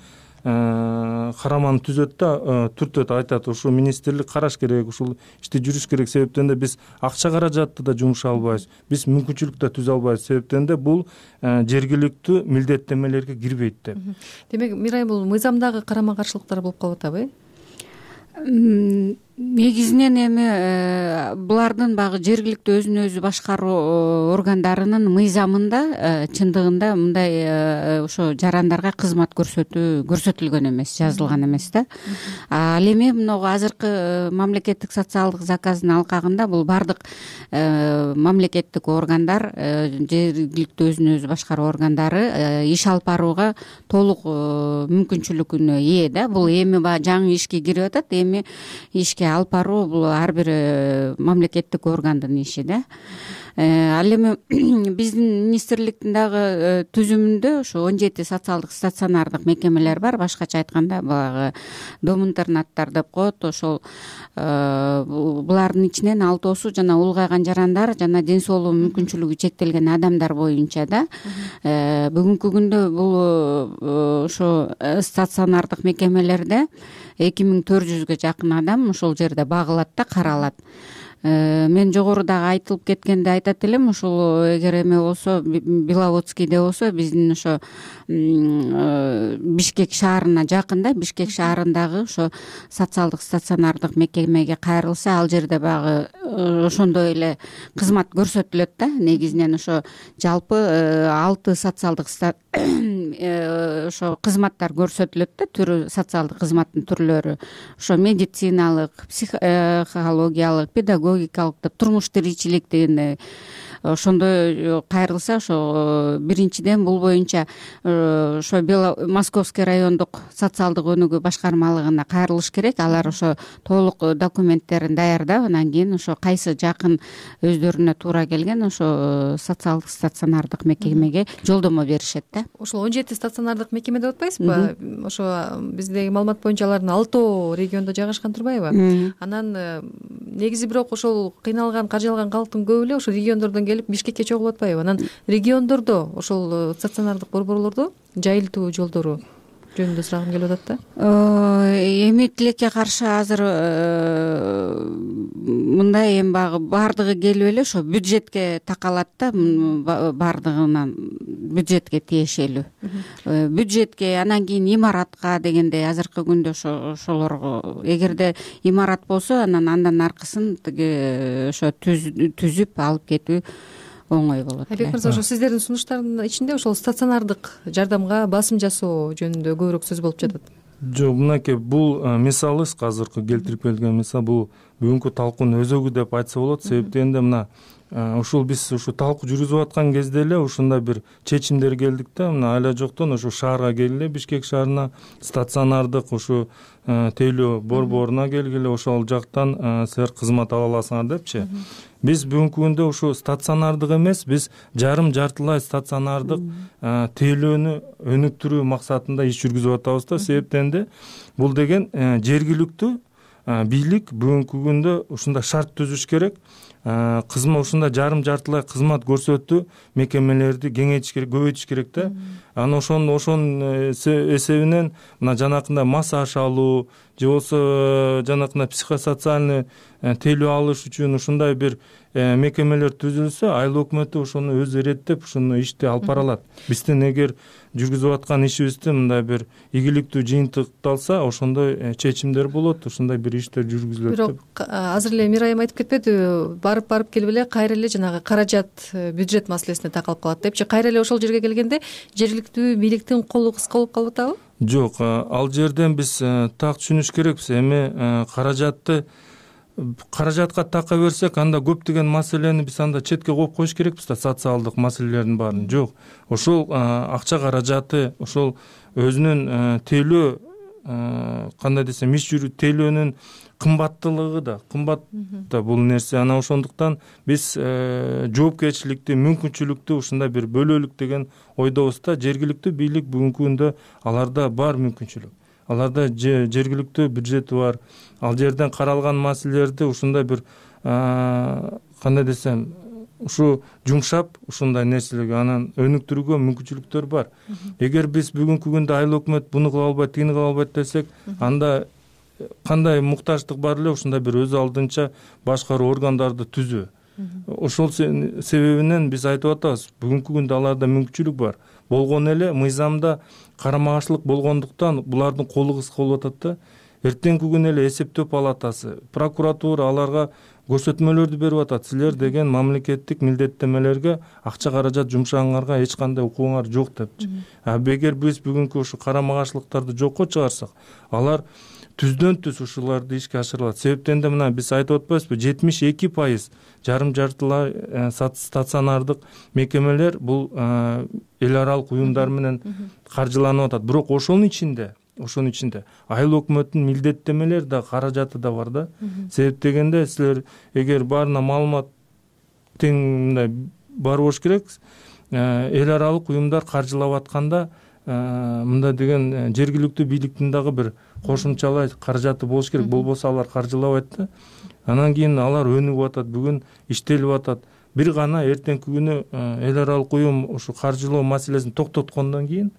караманы түзөт да, түртөт, айтат ушу министрлик караш керек, ушул ишти жүрүш керек. Себептен биз акча каражатты да жумуша албайбыз, биз мүмкүнчүлүк да түзө албайбыз. Себептен бул жергиликтүү милдеттемелерге кирбейт деп. Демек, Мирай, бул мыйзамдагы карама каршылыктар болуп калып атабы? Негизинен эми булардын баягы жергиликтүү өзүн өзү башкаруу органдарынын мыйзамында чындыгында мындай ошо жарандарга кызмат көрсөтүлгөн эмес, жазылган эмес да. Ал эми могу азыркы мамлекеттик социалдык заказдын алкагында бул бардык мамлекеттик органдар, жергиликтүү өзүн өзү башкаруу органдары иш алып барууга толук мүмкүнчүлүгүнө ээ да. Бул эми баягы жаңы ишке кирип атат, эми ишке алып баруу бул ар бир мамлекеттик органдын иши да. Ал эми биздин министрликтин дагы түзүмүндө ошо 17 социалдык стационардык мекемелер бар. Башкача айтканда баягы дом интернаттар деп коет. Ошол булардын ичинен 6 жана улгайган жарандар жана ден соолугу мүмкүнчүлүгү чектелген адамдар боюнча да. Бүгүнкү күндө бул ошо стационардык мекемелерде 2400-гө жакын адам ошол жерде багылат да, каралат. Мен жогорудагы айтылып кеткенде айтат элем, ушул эгер эме болсо, Беловодскийде болсо, биздин ошо Бишкек шаарына жакын да, Бишкек шаарындагы ошо социалдык стационардык мекемеге кайрылса, ал жерде баягы ошондой эле кызмат көрсөтүлөт да. Негизинен ошо жалпы 6 социалдык ошо кызматтар көрсөтүлөт да, түрү социалдык кызматтын түрлөрү. Ошо медициналык, психологиялык, педагогикалык деп турмуш тиричилик деген ошондой кайрылса, ошо биринчиден бул боюнча ошо Московский райондук социалдык өнүгүү башкармалыгына кайрылыш керек. Алар ошо толук документтерин даярдап, анан кийин ошо кайсы жакын өздөрүнө туура келген ошо социалдык стационардык мекемеге жолдомо беришет да. Ошол 17 стационардык мекеме деп атпайсызбы? Ошо биздеги маалымат боюнча алардын 6 региондо жайгашкан турбайбы? Анан негизи бирок ошол кыйналган, каржалган калктын көбү эле ошо региондордон келип Бишкекке чогулуп атпайбы? Анан региондордо ошол стационардык борборлордо жайылтуу жолдору жөнүндө сурагым келип атат да. Эми тилекке каршы азыр мындай эми баягы бардыгы келип эле ошо бюджетке такалат да, бардыгынан бюджетке тиешелүү. Бюджетке, анан кийин имаратка дегендей азыркы күндө ошолорго эгерде имарат болсо, андан аркысын тиги ошо түзүп алып кетүү оңой болот. Айбек мырза, ошо сиздердин сунуштардын ичинде ошол стационардык жардамга басым жасоо жөнүндө көбүрөөк сөз болуп жатат. Жок, мынакей бул мисалы азыркы келтирип келген мисал, бул бүгүнкү талкуунун өзөгү деп айтса болот. Себептен мына ушул биз ушу талкуу жүргүзүп аткан кезде эле ушундай бир чечимдер келдик да. Мына айла жоктон ушу шаарга келгиле, Бишкек шаарына стационардык ушу тейлөө борборуна келгиле, ошол жактан силер кызмат ала аласыңар депчи. Биз бүгүнкү күндө ушу стационардык эмес, биз жартылай стационардык тейлөөнү өнүктүрүү максатында иш жүргүзүп атабыз да. Себептен бул деген жергиликтүү бийлик бүгүнкү күндө ушундай шарт түзүш керек. Кызмат ушундай жартылай кызмат көрсөтүү мекемелерди кеңейтиш керек, көбөйтүш керек да. анан ошонун эсебинен мына жанакындай массаж алуу же болбосо жанакындай психосоциальный тейлөө алыш үчүн ушундай бир мекемелер түзүлсө айыл өкмөтү ошону өзү иреттеп ушуну ишти алып бара алат. Биздин эгер жүргүзүп аткан ишибизде мындай бир ийгиликтүү жыйынтыкталса ошондой чечимдер болот, ушундай бир иштер жүргүзүлөт деп. Бирок азыр эле Мира айым айтып кетпедиби, барып келип эле кайра эле жанагы каражат, бюджет маселесине такалып калат депчи. Кайра эле ошол жерге келгенде жергиликтүү бийликтин колу кыска болуп калып атабы? Жок, ал жерден биз так түшүнүш керекпиз. Эми каражатка така берсек, анда көптөгөн маселени биз анда четке коюп коюш керекпиз да, социалдык маселелердин баарын. Жок, ошол акча каражаты, ошол өзүнүн тейлөө, кандай десем, иш жүрүү тейлөөнүн кымбаттуулугу да, кымбат да бул нерсе. Анан ошондуктан биз жоопкерчиликти, мүмкүнчүлүктү ушундай бир бөлөлүк деген ойдобуз да. Жергиликтүү бийлик бүгүнкү күндө аларда бар мүмкүнчүлүк. Аларда жергиликтүү бюджети бар. Ал жерден каралган маселелерди ушундай бир кандай десем, ушу жумшап ушундай нерселерге анан өнүктүрүүгө мүмкүнчүлүктөр бар. Эгер биз бүгүнкү күндө айыл өкмөт буну кыла албайт, тигини кыла албайт десек, анда кандай муктаждык бар эле, ушундай бир өз алдынча башкаруу органдарды түзүү. Ошол себебинен биз айтып атабыз, бүгүнкү күндө аларда мүмкүнчүлүк бар. Болгон эле мыйзамда карама каршылык болгондуктан булардын колу кыска болуп атат да. Эртеңки күнү эле эсептөө палатасы, прокуратура аларга көрсөтмөлөрдү берип атат. Силер деген мамлекеттик милдеттемелерге акча каражат жумшагаңарга эч кандай укугуңар жок депчи. Эгер биз бүгүнкү ушу карама каршылыктарды жокко чыгарсак, алар түздөн түз ушуларды ишке ашырылат. Себептен да мына биз айтып атпайбызбы, 72% жарым-жартылай стационардык мекемелер бул эл аралык уюмдар менен каржыланып атат. Бирок ошонун ичинде айыл өкмөттүн милдеттемелери да, каражаты да бар да. Себеп дегенде силер эгер баарына маалымат тең мындай бар болуш керек. Эл аралык уюмдар каржылап атканда мындай деген жергиликтүү бийликтин дагы бир кошумчалай каражаты болуш керек. Болбосо алар каржылабайт да. Анан кийин алар өнүгүп атат, бүгүн иштелип атат. Бир гана эртеңки күнү эл аралык уюм ушу каржылоо маселесин токтоткондон кийин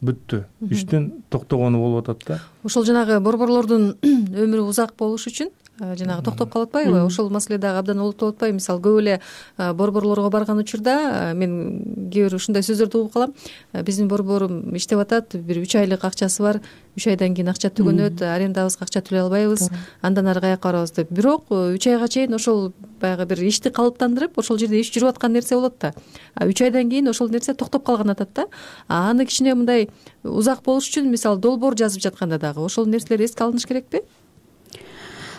бүттү. Иштин токтогону болуп атат да. Ошол жанагы борборлордун өмүрү узак болуш үчүн жанагы токтоп калып атпайбы? Ошол маселе дагы абдан олуттуп атпайбы? Мисалы, көп эле борборлорго барган учурда мен кээ бир ушундай сөздөрдү угуп калам. Биздин борборум иштеп атат, бир 3 айлык акчасы бар, 3 айдан кийин акча түгөнөт, арендабызга акча төлөй албайбыз, андан ары каяка барабыз деп. Бирок 3 айга чейин ошол баягы бир ишти калыптандырып, ошол жерде иш жүрүп аткан нерсе болот да. 3 айдан кийин ошол нерсе токтоп калган атат да. Аны кичине мындай узак болуш үчүн, мисалы, долбоор жазып жатканда дагы ошол нерселер эске алыныш керекпи?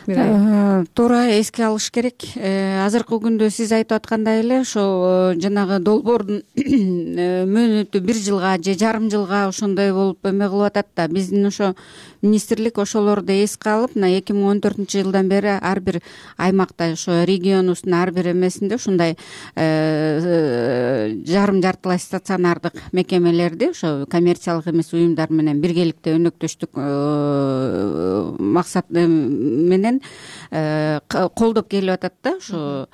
Туура, эске алыш керек. Азыркы күндө сиз айтып аткандай эле ошол жанагы долбоордун мөөнөтү 1 жылга же жарым жылга ошондой болуп эме кылып атат да. Биздин ошо министрлик ошолорду эске алып, мына 2014-жылдан бери ар бир аймакта, ошо регионубуздун ар бир эмесинде ушундай жарым-жартылай стационардык мекемелерди ошо коммерциялык эмес уюмдар менен биргеликте өнөктөштүк максат менен колдоп келип атат да. Ошо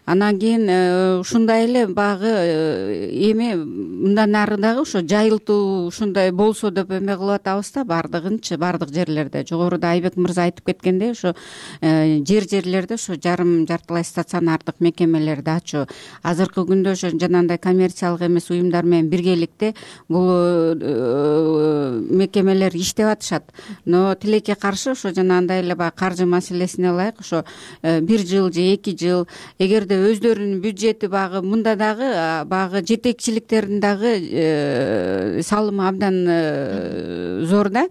анан кийин ушундай эле багы эми мындан ары дагы ошо жайылтуу ушундай болсо деп эме кылып атабыз да. Бардыгынчы бардык жерлерде, жогоруда Айбек мырза айтып кеткендей, ошо жерлерде ошо жарым-жартылай стационардык мекемелерди ачуу. Азыркы күндө ошо жанагындай коммерциялык эмес уюмдар менен биргеликте бул мекемелер иштеп атышат. Но тилекке каршы ошо жанагындай эле баягы каржы маселесине ылайык ошо 1 жыл же 2 жыл эгерде өздөрүнүн бюджети багы мында дагы багы жетекчиликтердин дагы салымы абдан зор да.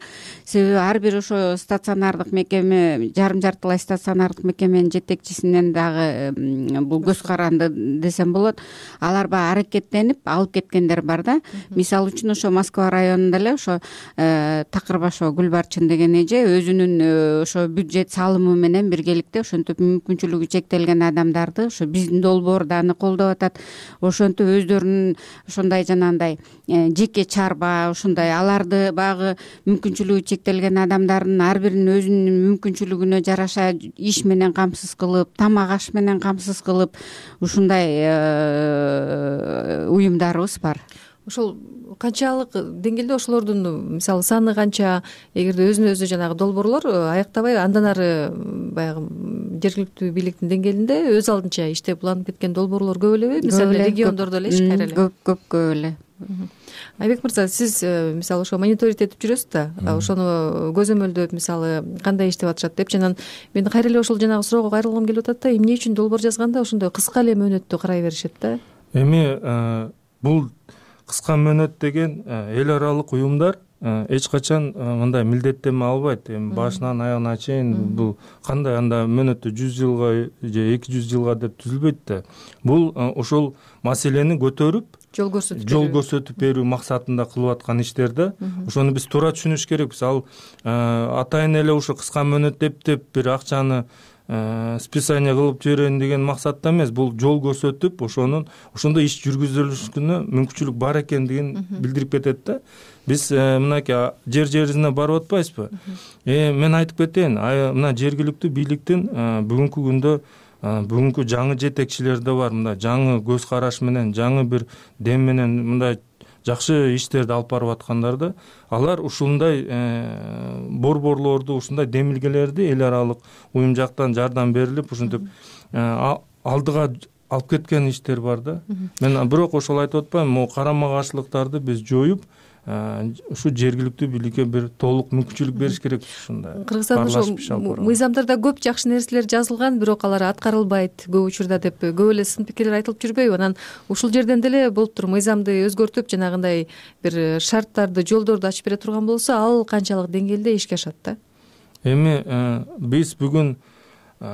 Себеби ар бир ошо стационардык мекеме, жарым-жартылай стационардык мекеменин жетекчисинен дагы бул көз каранды десем болот. Алар баягы аракеттенип алып кеткендер бар да. Мисалы үчүн ошо Москва районунда эле ошо Такырбашева Гүлбарчын деген эже өзүнүн ошо бюджет салымы менен биргеликте ошентип мүмкүнчүлүгү чектелген адамдарды ошо биздин долбоорду аны колдоп атат. Ошентип өздөрүнүн ошондой жанагындай жеке чарба ушундай аларды багы мүмкүнчүлүгү чектелген адамдардын ар бирин өзүнүн мүмкүнчүлүгүнө жараша иш менен камсыз кылып, тамак аш менен камсыз кылып ушундай уюмдарыбыз бар. ошол канчалык деңгээлде ошолордун мисалы саны канча, эгерде өзүнө өзү жанагы долбоорлор аяктабай андан ары баягы жергиликтүү бийликтин деңгээлинде өз алдынча иштеп уланып кеткен долбоорлор көп элеби? Мисалы региондордо элечи кайра эле? Көп эле. Айбек мырза, сиз мисалы ошо мониторинг этип жүрөсүз да, ошону көзөмөлдөп мисалы кандай иштеп атышат депчи, анан мен кайра эле ошол жанагы суроого кайрылгым келип атат да, эмне үчүн долбоор жазганда ошондой кыска эле мөөнөттө карай беришет да? Эми бул кыска мөөнөт деген эл аралык уюмдар эч качан мындай милдеттенме албайт. Эми башынан аягына чейин бул кандай анда мөөнөтү 100 жылга же 200 жылга деп түзүлбөйт да. Бул ошол маселени көтөрүп жол көрсөтүп берүү максатында кылып аткан иштер да. Ошону биз туура түшүнүш керекпиз. Ал атайын эле ушу кыска мөөнөт деп бир акчаны списание кылып жиберейин деген максатта эмес. Бул жол көрсөтүп, ошондой иш жүргүзүлүшүнө мүмкүнчүлүк бар экендигин билдирип кетет да. Биз мынакей жерине барып атпайбызбы? Мен айтып кетейин, мына жергиликтүү бийликтин бүгүнкү күндө бүгүнкү жаңы жетекчилери да бар. Мындай жаңы көз караш менен, жаңы бир дем менен мындай жакшы иштерди алып барып аткандар да. Алар ушундай борборлорду, ушундай демилгелерди эл аралык уюм жактан жардам берилип, ушинтип алдыга алып кеткен иштер бар да. Мен бирок ошол айтып атпайм, могу карама каршылыктарды биз жоюп, ушу жергиликтүү бийликке бир толук мүмкүнчүлүк бериш керек. Ушундай Кыргызстанда ошо мыйзамдарда көп жакшы нерселер жазылган, бирок алар аткарылбайт көп учурда деп көп эле сын пикирлер айтылып жүрбөйбү? Анан ушул жерден деле болуптур, мыйзамды өзгөртүп, жанагындай бир шарттарды, жолдорду ачып бере турган болсо, ал канчалык деңгээлде ишке ашат да? Эми биз бүгүн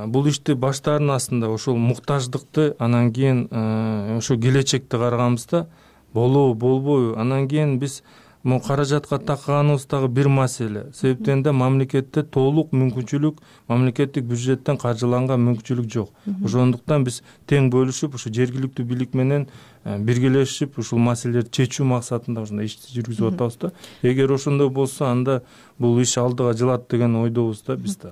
бул ишти баштаардын астында ошол муктаждыкты, анан кийин ошо келечекти караганбызда болобу, болбойбу, анан кийин биз могу каражатка такканыбыз дагы бир маселе. Себептен да мамлекетте толук мүмкүнчүлүк, мамлекеттик бюджеттен каржыланган мүмкүнчүлүк жок. Ошондуктан биз тең бөлүшүп, ушу жергиликтүү бийлик менен биргелешип, ушул маселелерди чечүү максатында ушундай ишти жүргүзүп атабыз да. Эгер ошондой болсо, анда бул иш алдыга жылат деген ойдобуз да биз да.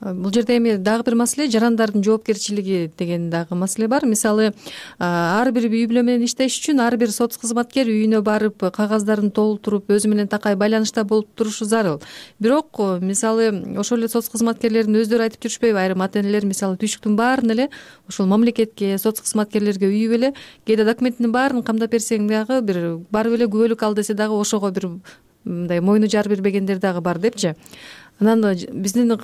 Бул жерде эми дагы бир маселе, жарандардын жоопкерчилиги деген дагы маселе бар. Мисалы, ар бир үй бүлө менен иштеш үчүн ар бир соц кызматкер үйүнө барып, кагаздарын толтуруп, өзү менен такай байланышта болуп турушу зарыл. Бирок, мисалы, ошол эле соц кызматкерлердин өздөрү айтып жүрүшпөйбү? Айрым ата энелер мисалы түйшүктүн баарын эле ошол мамлекетке, соц кызматкерлерге үйүп эле, кээде документинин баарын камдап берсең дагы бир барып эле күбөлүк ал десе дагы ошого бир мындай мойну жар бербегендер дагы бар депчи. Анан биздин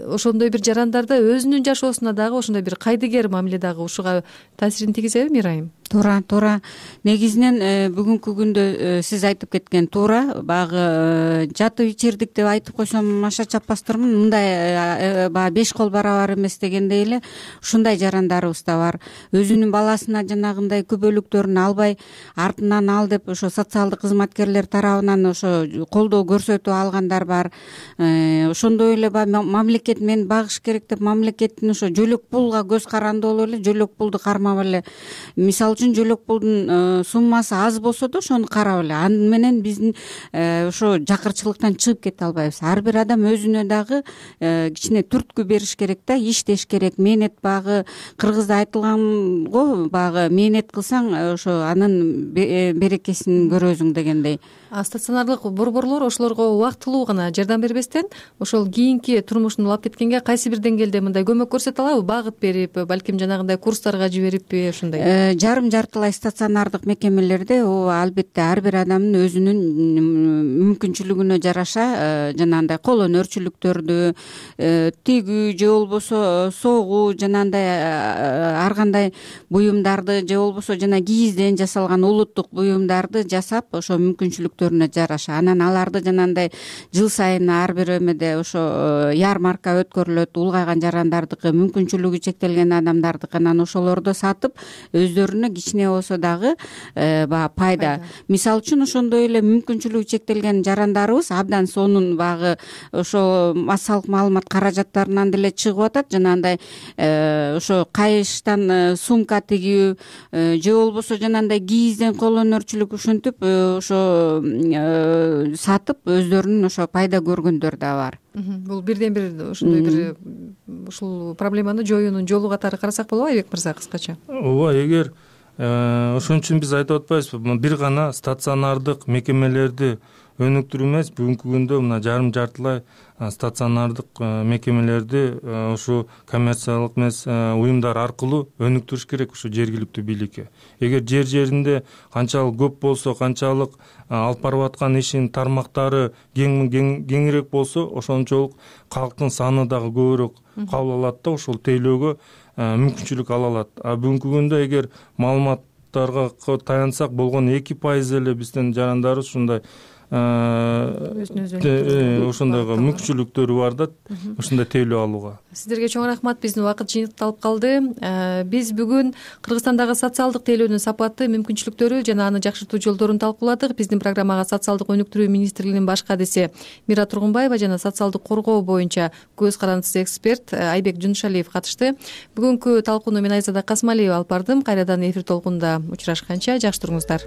ошондой бир жарандарда өзүнүн жашоосуна дагы ошондой бир кайдыгер мамиле дагы ушуга таасирин тийгизеби, Мирайым? Туура. Негизинен бүгүнкү күндө сиз айтып кеткен туура. Баягы жатып ичирдик деп айтып койсом аша чаппастырмын. Мындай баягы 5 кол барабар эмес дегендей эле ушундай жарандарыбыз да бар. Өзүнүн баласына жанагындай күбөлүктөрүн албай, артынан ал деп ошо социалдык кызматкерлер тарабынан ошо колдоо көрсөтүп алгандар бар. Ошондой эле мамлекет мен багыш керек деп мамлекеттин ошо жөлөк пулга көз каранды болуп эле жөлөк пулду кармап эле, мисалы үчүн жөлөк пулдун суммасы аз болсо да ошону карап эле, аны менен биздин ошо жакырчылыктан чыгып кете албайбыз. Ар бир адам өзүнө дагы кичине түрткү бериш керек да, иштеш керек. Мээнет багы кыргызда айтылган го, багы мээнет кылсаң ошо анын берекесин көрөсүң дегендей. Стационардык борборлор ошолорго убактылуу гана жардам бербестен, ошол кийинки турмушун улап кеткенге кайсы бир деңгээлде мындай көмөк көрсөтө алабы? Багыт берип, балким жанагындай курстарга жибериппи, ушундай? Жарым жартылай стационардык мекемелерде албетте ар бир адамдын өзүнүн мүмкүнчүлүгүнө жараша жанагындай кол өнөрчүлүктөрдү, тигүү же болбосо согуу, жанагындай ар кандай буюмдарды же болбосо жана кийизден жасалган улуттук буюмдарды жасап, ошо мүмкүнчүлүктөрүнө жараша. Анан аларды жанагындай жыл сайын ар бир эмеде ошо ярмарка өткөрүлөт, улгайган жарандардыкы, мүмкүнчүлүгү чектелген адамдардыкы, анан ошолорду сатып өздөрүнө кичине болсо дагы баягы пайда. Мисалы үчүн ошондой эле мүмкүнчүлүгү чектелген жарандарыбыз абдан сонун багы ошо массалык маалымат каражаттарынан деле чыгып атат. Жанагындай ошо кайыштан сумка тигүү же болбосо жанагындай кийизден кол өнөрчүлүк ушинтип ошо сатып өздөрүнүн ошо пайда көргөндөр да бар. Бул бирден бир ошондой бир ушул проблеманы жоюунун жолу катары карасак болобу, Айбек мырза, кыскача? Ооба, эгер ошон үчүн биз айтып атпайбызбы, бир гана стационардык мекемелерди өнүктүрүү эмес, бүгүнкү күндө мына жартылай стационардык мекемелерди ушу коммерциялык эмес уюмдар аркылуу өнүктүрүш керек ушу жергиликтүү бийликке. Эгер жеринде канчалык көп болсо, канчалык алып барып аткан ишин тармактары кеңирээк болсо, ошончолук калктын саны дагы көбүрөөк кабыл алат да ошол тейлөөгө мүмкүнчүлүк ала алат. А бүгүнкү күндө эгер маалыматтарга таянсак, болгону 2% эле биздин жарандарыбыз ушундай ошондойго мүмкүнчүлүктөрү бар да, ушундай тейлөө алууга. Сиздерге чоң рахмат. Биздин убакыт жыйынтыкталып калды. Биз бүгүн Кыргызстандагы социалдык тейлөөнүн сапаты, мүмкүнчүлүктөрү жана аны жакшыртуу жолдорун талкууладык. Биздин программага социалдык өнүктүрүү министрлигинин баш кадиси Мира Тургунбаева жана социалдык коргоо боюнча көз карандысыз эксперт Айбек Жунушалиев катышты. Бүгүнкү талкууну мен Айзада Касмалиева алып бардым. Кайрадан эфир толкунунда учурашканча жакшы туруңуздар.